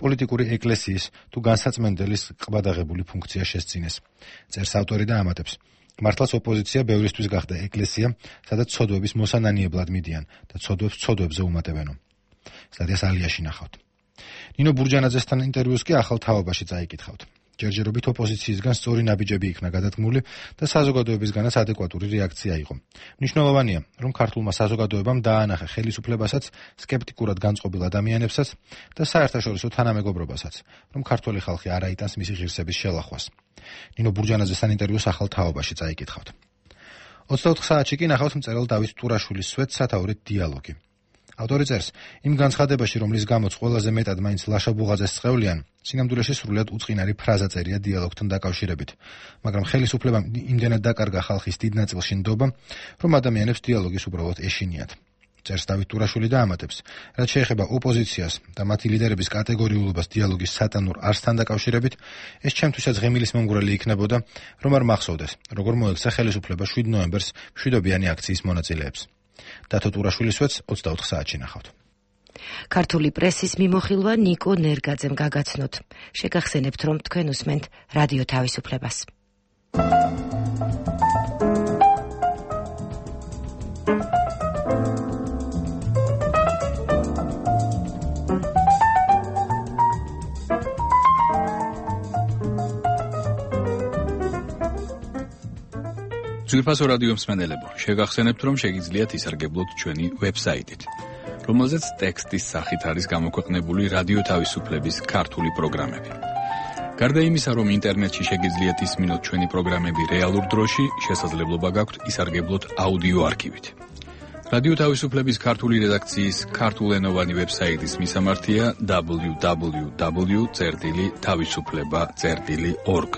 პოლიტიკური ეკლესიის თუ განსაცმენდელის ყბადაღებული ფუნქცია შესწინეს. წერს ავტორი და ამატებს. მართლაც ოპოზიცია ბევრისთვის გახდა ეკლესია, სადაც ცოდვების მოსანანიებლად მიდიან და ცოდვებს ცოდვებზე უმატებენო. სტატიას ალიაში ნახავთ. ნინო ბურჯანაძესთან ინტერვიუს კი ახალ თაობაში წაიკითხავთ. ჯერჯერობით ოპოზიციისგან სწორი ნაბიჯები იქნა გადადგმული და საზოგადოებისგანაც ადეკვატური რეაქცია იყო. მნიშვნელოვანია, რომ ქართულმა საზოგადოებამ დაანახა ხელისუფლებასაც, სკეპტიკურად განწყობილ ადამიანებსაც და საერთაშორისო თანამეგობრობასაც, რომ ქართველი ხალხი არ აიტანს მისი ღირსების შელახვას. ნინო ბურჯანაძესთან ინტერვიუს ახალ თაობაში წაიკითხავთ. 24 საათში კი ნახავთ მწერალ დავით ტურაშვილის სვეტს სათაურით დიალოგი. ავტორი წერს, იმ განცხადებაში, რომლის გამოც ყველაზე მეტად მაინც ლაშა-ბუღაძეს წყვევლიან, სინამდვილეში სრულიად უწყინარი ფრაზა წერია დიალოგთან დაკავშირებით, მაგრამ ხელისუფლებამ იმდენად დაკარგა ხალხის დიდ ნაწილში ნდობა, რომ ადამიანებს დიალოგის უბრალოდ ეშინიათ. წერს დავით ტურაშვილი და ამატებს, რაც შეეხება ოპოზიციას და მათი ლიდერების კატეგორიულობას დიალოგის სატანურ არსთან დაკავშირებით, ეს ჩემთვისაც ღემილის მომგვრელი იქნებოდა, რომ არ მახსოვდეს, როგორ მოექცა ხელისუფლება 7 ნოემბერს მშვიდობიანი აქციის მონაწილეებს. დათო ტურაშვილისვეც 24 საათში ნახავთ. ქართული პრესის მიმოხილვა ნიკო ნერგაძემ გაგაცნოთ. შეგახსენებთ, რომ თქვენ უსმენთ რადიო თავისუფლებას. ძვირფასო რადიო მსმენელებო, შეგახსენებთ, რომ შეგიძლიათ ისარგებლოთ ჩვენი ვებსაიტით, რომელზეც ტექსტის სახით არის გამოქვეყნებული რადიო თავისუფლების ქართული პროგრამები. გარდა იმისა, რომ ინტერნეტში შეგიძლიათ ისმინოთ ჩვენი პროგრამები რეალურ დროში, შესაძლებლობა გაქვთ ისარგებლოთ აუდიო არქივით. რადიო თავისუფლების ქართული რედაქციის ქართულენოვანი ვებსაიტის მისამართია www.tavisufleba.org.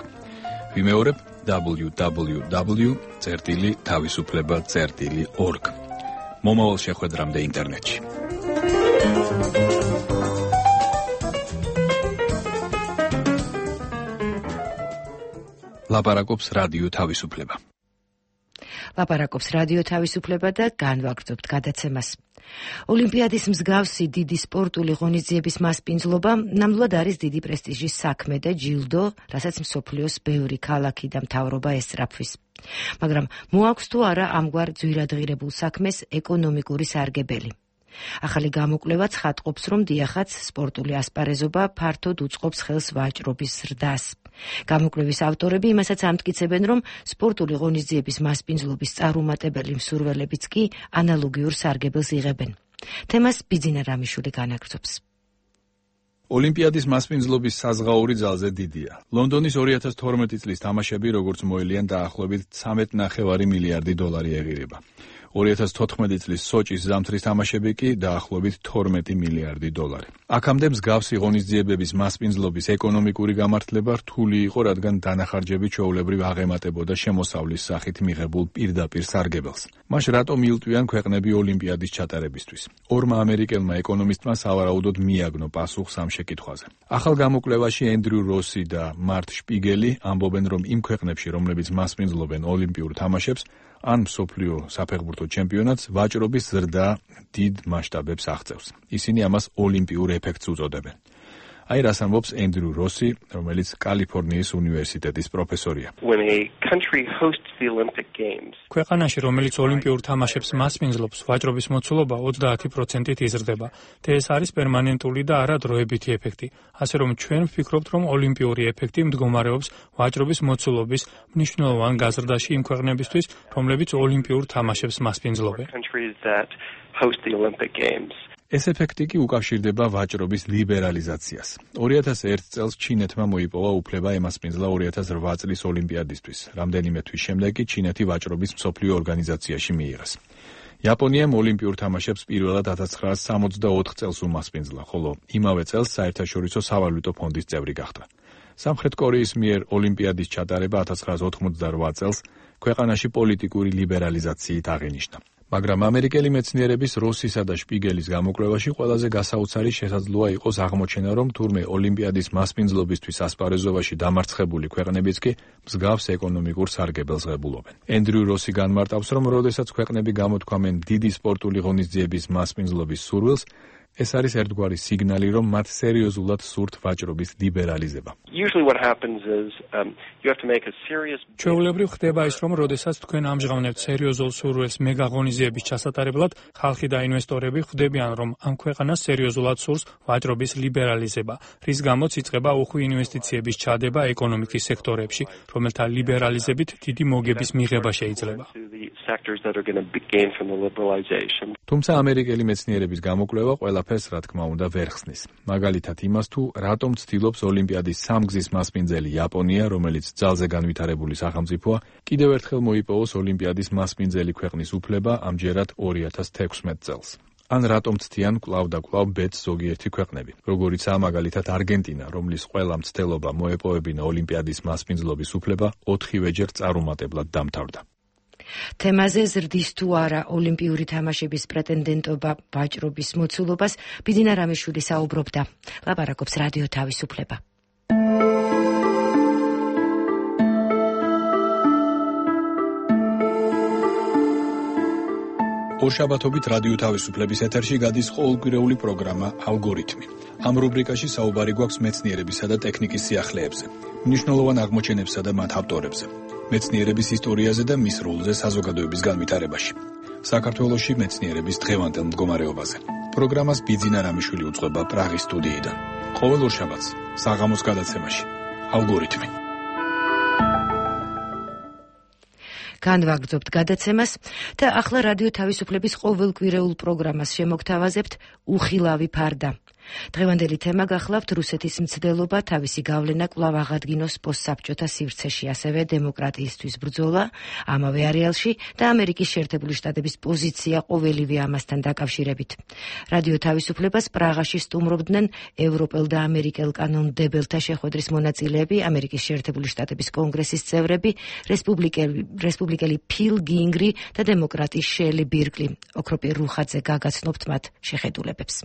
ვიმეორებ www.tavisufleba.org. მომავალ შეხვედრამდე ინტერნეტში. ლაპარაკობს რადიო თავისუფლება. ლაპარაკობს რადიო თავისუფლება და განვაგრძობთ გადაცემას. ოლიმპიადის მსგავსი დიდი სპორტული ღონისძიების მასპინძლობა ნამდვილად არის დიდი პრესტიჟის საქმე და ჯილდო, რასაც მსოფლიოს ბევრი ქალაქი და მთავრობა ესწრაფვის. მაგრამ მოაქვს თუ არა ამგვარ ძვირადღირებულ საქმეს ეკონომიკური სარგებელი. ახალი გამოკვლევა ცხადყოფს, რომ დიახაც სპორტული ასპარეზობა ფართოდ უწყობს ხელს ვაჭრობის ზრდას. გამოკვლევის ავტორები იმასაც ამტკიცებენ, რომ სპორტული ღონისძიების მასპინძლობის წარუმატებელი მსურველებიც კი ანალოგიურ სარგებელს იღებენ. თემას ბიძინა რამიშვილი განაგრძობს. ოლიმპიადის მასპინძლობის საზღაური ძალზე დიდია. ლონდონის 2012 წლის თამაშები, როგორც მოელიან, დაახლოებით 13.5 მილიარდი დოლარი ეღირება. 2014 წლის სოჭის ზამთრის თამაშები კი დაახლოებით 12 მილიარდი დოლარი. აქამდე მსგავსი ღონისძიებების მასპინძლობის ეკონომიკური გამართლება რთული იყო, რადგან დანახარჯები ჩვეულებრივ აღემატებოდა შემოსავლის სახით მიღებულ პირდაპირ სარგებელს. მას რატომ ილტვიან ქვეყნები ოლიმპიადის ჩატარებისთვის? ორმა ამერიკელმა ეკონომისტმა სავარაუდოდ მიაგნო პასუხს ამ შეკითხვაზე. ახალ გამოკვლევაში ენდრიუ როსი და მარტ შპიგელი ამბობენ, რომ იმ ქვეყნებში, რომლებიც მასპინძლობენ ოლიმპიურ თამაშებს, ან მსოფლიო საფეხბურთო ჩემპიონატს ვაჭრობის ზრდა დიდ მასშტაბებს აღწევს. ისინი ამას ოლიმპიურ ეფექტს უწოდებენ. აი რას ამბობს ენდრიუ როსი, რომელიც კალიფორნიის უნივერსიტეტის პროფესორია. ქვეყანაში, რომელიც ოლიმპიურ თამაშებს მასპინძლობს, ვაჭრობის მოცულობა 30%-ით იზრდება. და ეს არის პერმანენტული და არა დროებითი ეფექტი. ასე რომ ჩვენ ვფიქრობთ, რომ ოლიმპიური ეფექტი მდგომარეობს ვაჭრობის მოცულობის მნიშვნელოვან გაზრდაში იმ ქვეყნებისთვის, რომლებიც ოლიმპიურ თამაშებს მასპინძლობენ. ეს ეფექტი კი უკავშირდება ვაჭრობის ლიბერალიზაციას. 2001 წელს ჩინეთმა მოიპოვა უფლება ემასპინძლა 2008 წლის ოლიმპიადისთვის. რამდენიმე თვის შემდეგ კი ჩინეთი ვაჭრობის მსოფლიო ორგანიზაციაში მიიღეს. იაპონიამ ოლიმპიურ თამაშებს პირველად 1964 წელს უმასპინძლა, ხოლო იმავე წელს საერთაშორისო სავალუტო ფონდის წევრი გახდა. სამხრეთ კორეის მიერ ოლიმპიადის ჩატარება 1988 წელს ქვეყანაში პოლიტიკური ლიბერალიზაციით აღინიშნა. მაგრამ ამერიკელი მეცნიერების როსისა და შპიგელის გამოკვლევაში ყველაზე გასაოცარი შესაძლოა იყოს აღმოჩენა, რომ თურმე ოლიმპიადის მასპინძლობისთვის ასპარეზობაში დამარცხებული ქვეყნებიც კი მსგავს ეკონომიკურ სარგებელს ღებულობენ. ენდრიუ როსი განმარტავს, რომ როდესაც ქვეყნები გამოთქვამენ დიდი სპორტული ღონისძიების მასპინძლობის სურვილს, ეს არის ერთგვარი სიგნალი, რომ მათ სერიოზულად სურთ ვაჭრობის ლიბერალიზება. ჩვეულებრივ ხდება ის, რომ როდესაც თქვენ ამჟღავნებთ სერიოზულ სურვილს მეგაღონისძიების ჩასატარებლად, ხალხი და ინვესტორები ხვდებიან, რომ ამ ქვეყანას სერიოზულად სურს ვაჭრობის ლიბერალიზება, რის გამოც იწყება უხვი ინვესტიციების ჩადება ეკონომიკის სექტორებში, რომელთა ლიბერალიზებით დიდი მოგების მიღება შეიძლება. თუმცა ამერიკელი მეცნიერების გამოკვლევა ყველაფერს რა თქმა უნდა ვერ ხსნის. მაგალითად იმას თუ რატომ ცდილობს ოლიმპიადის სამგზის მასპინძელი იაპონია, რომელიც ძალზე განვითარებული სახელმწიფოა, კიდევ ერთხელ მოიპოვოს ოლიმპიადის მასპინძელი ქვეყნის უფლება ამჯერად 2016 წელს. ან რატომ ცდიან კვლავ და კვლავ ბედს ზოგიერთი ქვეყნები, როგორიცაა მაგალითად არგენტინა, რომლის ყველა მცდელობა მოეპოვებინა ოლიმპიადის მასპინძლობის უფლება 4-ვეჯერ წარუმატებლად დამთავრდა. თემაზე ზრდის თუ არა ოლიმპიური თამაშების პრეტენდენტობა ვაჭრობის მოცულობას ბიძინა რამიშვილი საუბრობდა. ლაპარაკობს რადიო თავისუფლება. ორშაბათობით რადიო თავისუფლების ეთერში გადის ყოველკვირეული პროგრამა ალგორითმი. ამ რუბრიკაში საუბარი გვაქვს მეცნიერებისა და ტექნიკის სიახლეებზე, მნიშვნელოვან აღმოჩენებსა და მათ ავტორებზე, მეცნიერების ისტორიაზე და მის როლზე საზოგადოების განვითარებაში. საქართველოში მეცნიერების დღევანდელ მდგომარეობაზე. პროგრამას ბიძინა რამიშვილი უძღვება პრაღის სტუდიიდან. ყოველ ორშაბათს საღამოს გადაცემაში ალგორითმი. განვაგრძობთ გადაცემას და ახლა რადიო თავისუფლების ყოველკვირეულ პროგრამას შემოგთავაზებთ უხილავი ფარდა. დღევანდელი თემა გახლავთ რუსეთის მცდელობა თავისი გავლენა კვლავ აღადგინოს პოსტსაბჭოთა სივრცეში, ასევე დემოკრატიისთვის ბრძოლა ამავე არეალში და ამერიკის შეერთებული შტატების პოზიცია ყოველივე ამასთან დაკავშირებით. რადიო თავისუფლებას პრაღაში სტუმრობდნენ ევროპელ და ამერიკელ კანონმდებელთა შეხვედრის მონაწილეები, ამერიკის შეერთებული შტატების კონგრესის წევრები, რესპუბლიკელი ფილ გინგრი და დემოკრატი შელი ბირკლი. ოქროპირ რუხაძე გაგაცნობთ მათ შეხედულებებს.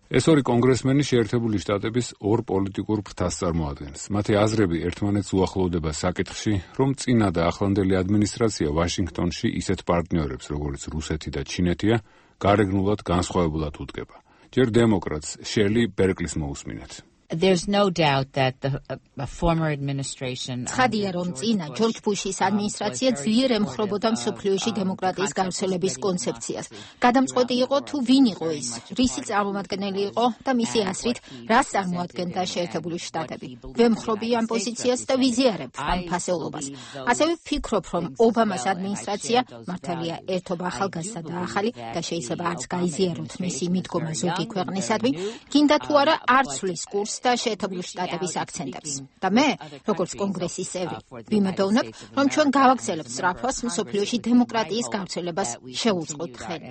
ეს ორი კონგრესმენი შეერთებული შტატების ორ პოლიტიკურ ფრთას წარმოადგენს. მათი აზრები ერთმანეთს უახლოვდება საკითხში, რომ წინა და ახლანდელი ადმინისტრაცია ვაშინგტონში ისეთ პარტნიორებს, როგორც რუსეთი და ჩინეთია, გარეგნულად განსხვავებულად უდგება. ჯერ დემოკრატს შელი ბერკლის მოусმინეთ. There's no doubt that the former administration ცხადია, რომ წინა ჯორჯ ბუშის ადმინისტრაცია ძლიერ ემხრობოდა მსოფლიოში დემოკრატიის გავრცელების კონცეფციას. გადამწყვეტი იყო თუ ვინ იყო ის, რისი წარმომადგენელი იყო და მისი აზრით რას წარმოადგენდა შეერთებული შტატები. ვემხრობი ამ პოზიციას და ვიზიარებ ამ ფასეულობას. ასევე ვფიქრობ, რომ ობამას ადმინისტრაცია, მართალია ერთობა ახალგაზრდა და ახალი და შეიძლება არც გაიზიაროთ მისი მიდგომა ზოგი ქვეყნისადმი, გინდა თუ არა არ ცვლის კურსს და შეერთებული შტატების აქცენტებს. და მე, როგორც კონგრესის წევრი, ვიმედოვნებ, რომ ჩვენ გავაგრძელებთ სწრაფვას მსოფლიოში დემოკრატიის გავრცელებას შეუწყოთ ხელი.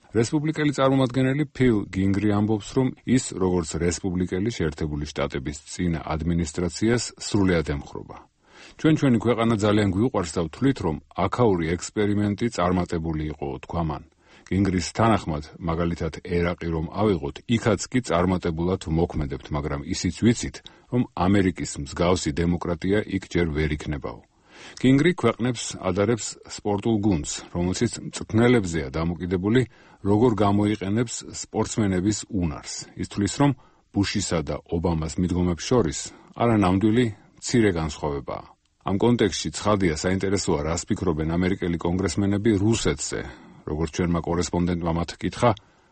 რესპუბლიკელი წარმომადგენელი ფილ გინგრი ამბობს, რომ ის, როგორც რესპუბლიკელი შეერთებული შტატების წინა ადმინისტრაციას სრულად ემხრობა. ჩვენი ქვეყანა ძალიან გვიყვარს და ვთვლით, რომ აქაური ექსპერიმენტი წარმატებული იყო, თქვა მან. გინგრის თანახმად, მაგალითად ერაყი რომ ავიღოთ, იქაც კი წარმატებულად მოქმედებთ, მაგრამ ისიც ვიცით, რომ ამერიკის მსგავსი დემოკრატია იქ ჯერ ვერ იქნებაო. გინგრი ქვეყნებს ადარებს სპორტულ გუნდს, რომელშიც მწვრთნელებზეა დამოკიდებული, როგორ გამოიყენებს სპორტსმენების უნარს. ის თვლის, რომ ბუშისა და ობამას მიდგომებს შორის არანამდვილი მცირე განსხვავებაა. ამ კონტექსტში ცხადია საინტერესოა, რას ფიქრობენ ამერიკელი კონგრესმენები რუსეთზე. როგორც ჩვენმა კორესპონდენტმა მათ კითხა,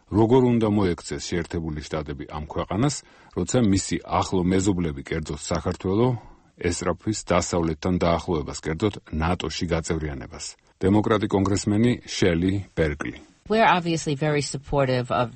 როგორ უნდა მოექცეს შეერთებული შტატები ამ ქვეყანას, როცა მისი ახლო მეზობლები, კერძოდ საქართველო, ესწრაფვის დასავლეთთან დაახლოებას, კერძოდ ნატოში გაწევრიანებას. დემოკრატი კონგრესმენი შელი ბერკლი. We're obviously very supportive of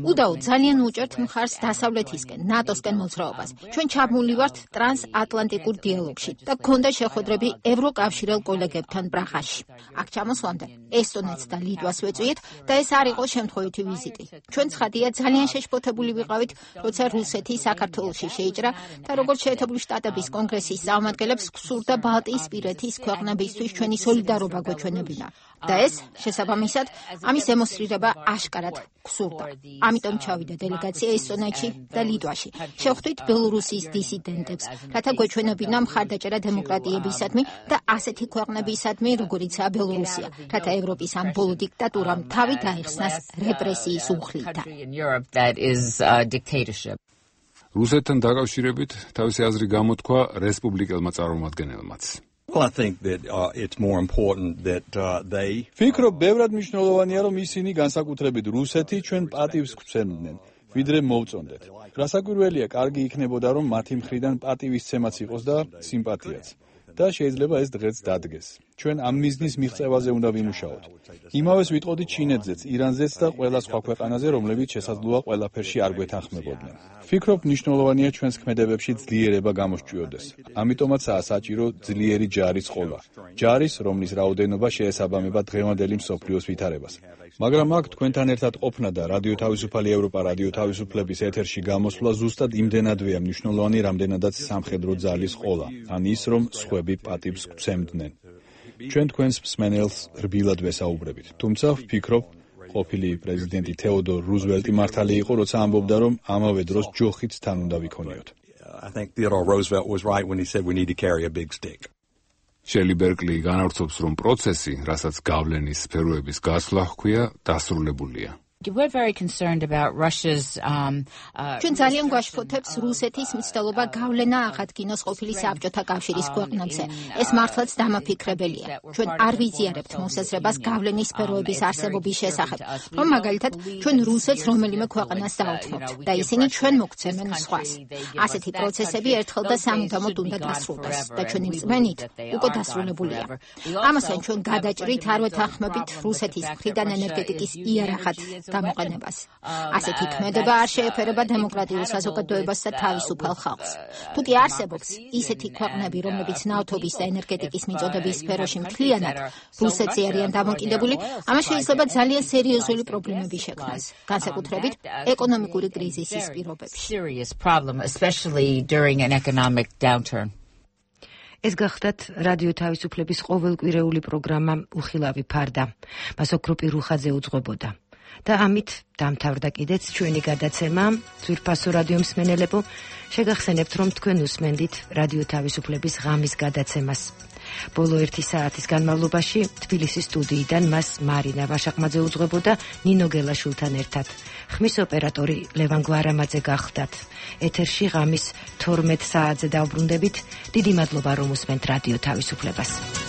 უდაოდ ძალიან უჭერთ მხარს დასავლეთისკენ, ნატოსკენ მოძრაობას. ჩვენ ჩაბმული ვართ ტრანსატლანტიკურ დიალოგში და გქონდა შეხვედრები ევროკავშირელ კოლეგებთან პრაღაში. აქ ჩამოსვლამდე ესტონეთს და ლიტვას ვეწვიეთ და ეს არ იყო შემთხვევითი ვიზიტი. ჩვენ ცხადია ძალიან შეშფოთებული ვიყავით, როცა რუსეთი საქართველოში შეიჭრა და როგორც შეერთებული შტატების კონგრესის წარმომადგენლებს გსურდა ბალტიისპირეთის ქვეყნებისთვის ჩვენი სოლიდარობა გვეჩვენებინა. და ეს შესაბამისად ამის დემონსტრირება აშკარად გსურდა. ამიტომ ჩავიდა დელეგაცია ესტონეთში და ლიტვაში. შევხვდით ბელორუსიის დისიდენტებს, რათა გვეჩვენებინა მხარდაჭერა დემოკრატიებისადმი და ასეთი ქვეყნებისადმი, როგორიცაა ბელორუსია, რათა ევროპის ამ ბოლო დიქტატურამ თავი დაეხსნას რეპრესიის უხლიდან. რუსეთთან დაკავშირებით თავისი აზრი გამოთქვა რესპუბლიკელმა წარმომადგენელმაც. Well, I think that it's more important that they ვფიქრობ, ბევრად მნიშვნელოვანია, რომ ისინი განსაკუთრებით რუსეთი ჩვენ პატივს გვცემდნენ, ვიდრე მოვწონდეთ. რასაკვირველია, კარგი იქნებოდა, რომ მათი მხრიდან პატივისცემაც იყოს და სიმპათიაც. და შეიძლება ეს დღეც დადგეს. ჩვენ ამ მიზნის მიღწევაზე უნდა ვიმუშაოთ. იმავეს ვიტყოდით ჩინეთზეც, ირანზეც და ყველა სხვა ქვეყანაზე, რომლებიც შესაძლოა ყველაფერში არ გვეთანხმებოდნენ. ვფიქრობ, მნიშვნელოვანია ჩვენს ქმედებებში ძლიერება გამოსჭიოდეს. ამიტომაცაა საჭირო ძლიერი ჯარის ყოლა. ჯარის, რომლის რაოდენობა შეესაბამება დღევანდელი მსოფლიოს ვითარებას. მაგრამ აქ თქვენთან ერთად ყოფნა და რადიო თავისუფალი ევროპა, რადიო თავისუფლების ეთერში გამოსვლა ზუსტად იმდენადვეა მნიშვნელოვანი, რამდენადაც სამხედრო ძალის ყოლა, ან ის, რომ სხვები პატივს გვცემდნენ. ჩვენ თქვენს მსმენელს რბილად ვესაუბრებით. თუმცა ვფიქრობ, ყოფილი პრეზიდენტი თეოდორ რუზველტი მართალი იყო, როცა ამბობდა, რომ ამავე დროს ჯოხიც თან უნდა ვიქონიოთ. I think Theodore Roosevelt was right when he said we need to carry a big stick. შელი ბერკლი განავრცობს, რომ პროცესი, რასაც გავლენის სფეროების გასვლა ჰქვია, დასრულებულია. We're very concerned about Russia's ჩვენ ძალიან გვაშფოთებს რუსეთის მცდელობა გავლენა აღადგინოს ყოფილი საბჭოთა კავშირის ქვეყნებზე. ეს მართლაც დამაფიქრებელია. ჩვენ არ ვიზიარებთ მოსაზრებას გავლენის სფეროების არსებობის შესახებ, რომ მაგალითად ჩვენ რუსეთს რომელიმე ქვეყანას დაუთმობთ და ისინი ჩვენ მოგცემენ სხვას. ასეთი პროცესები ერთხელ და სამუდამოდ უნდა დასრულდეს და ჩვენი რწმენით უკვე დასრულებულია. ამასთან ჩვენ გადაჭრით არ ვეთანხმებით რუსეთის მხრიდან ენერგეტიკის იარაღად გამოყენებას. ასეთი ქმედება არ შეეფერება დემოკრატიულ საზოგადოებას და თავისუფალ ხალხს. თუ კი არსებობს ისეთი ქვეყნები, რომლებიც ნავთობის და ენერგეტიკის მიწოდების სფეროში მთლიანად რუსეთზე არიან დამოკიდებული, ამას შეიძლება ძალიან სერიოზული პრობლემები შექმნას, განსაკუთრებით ეკონომიკური კრიზისის პირობებში. ეს გახლდათ რადიო თავისუფლების ყოველკვირეული პროგრამა უხილავი ფარდა. მას ოქროპი რუხაძე უძღვებოდა. და ამით დამთავრდა კიდეც ჩვენი გადაცემა ძვირფასო რადიო მსმენელებო, შეგახსენებთ, რომ თქვენ უსმენდით რადიო თავისუფლების ღამის გადაცემას. ბოლო 1 საათის განმავლობაში თბილისის სტუდიიდან მას მარინა ვაშაყმაძე უძღვებოდა ნინო გელაშვილთან ერთად. ხმის ოპერატორი ლევან გვარამაძე გახლდათ. ეთერში ღამის 12 საათზე დავბრუნდებით. დიდი მადლობა, რომ უსმენთ რადიო თავისუფლებას.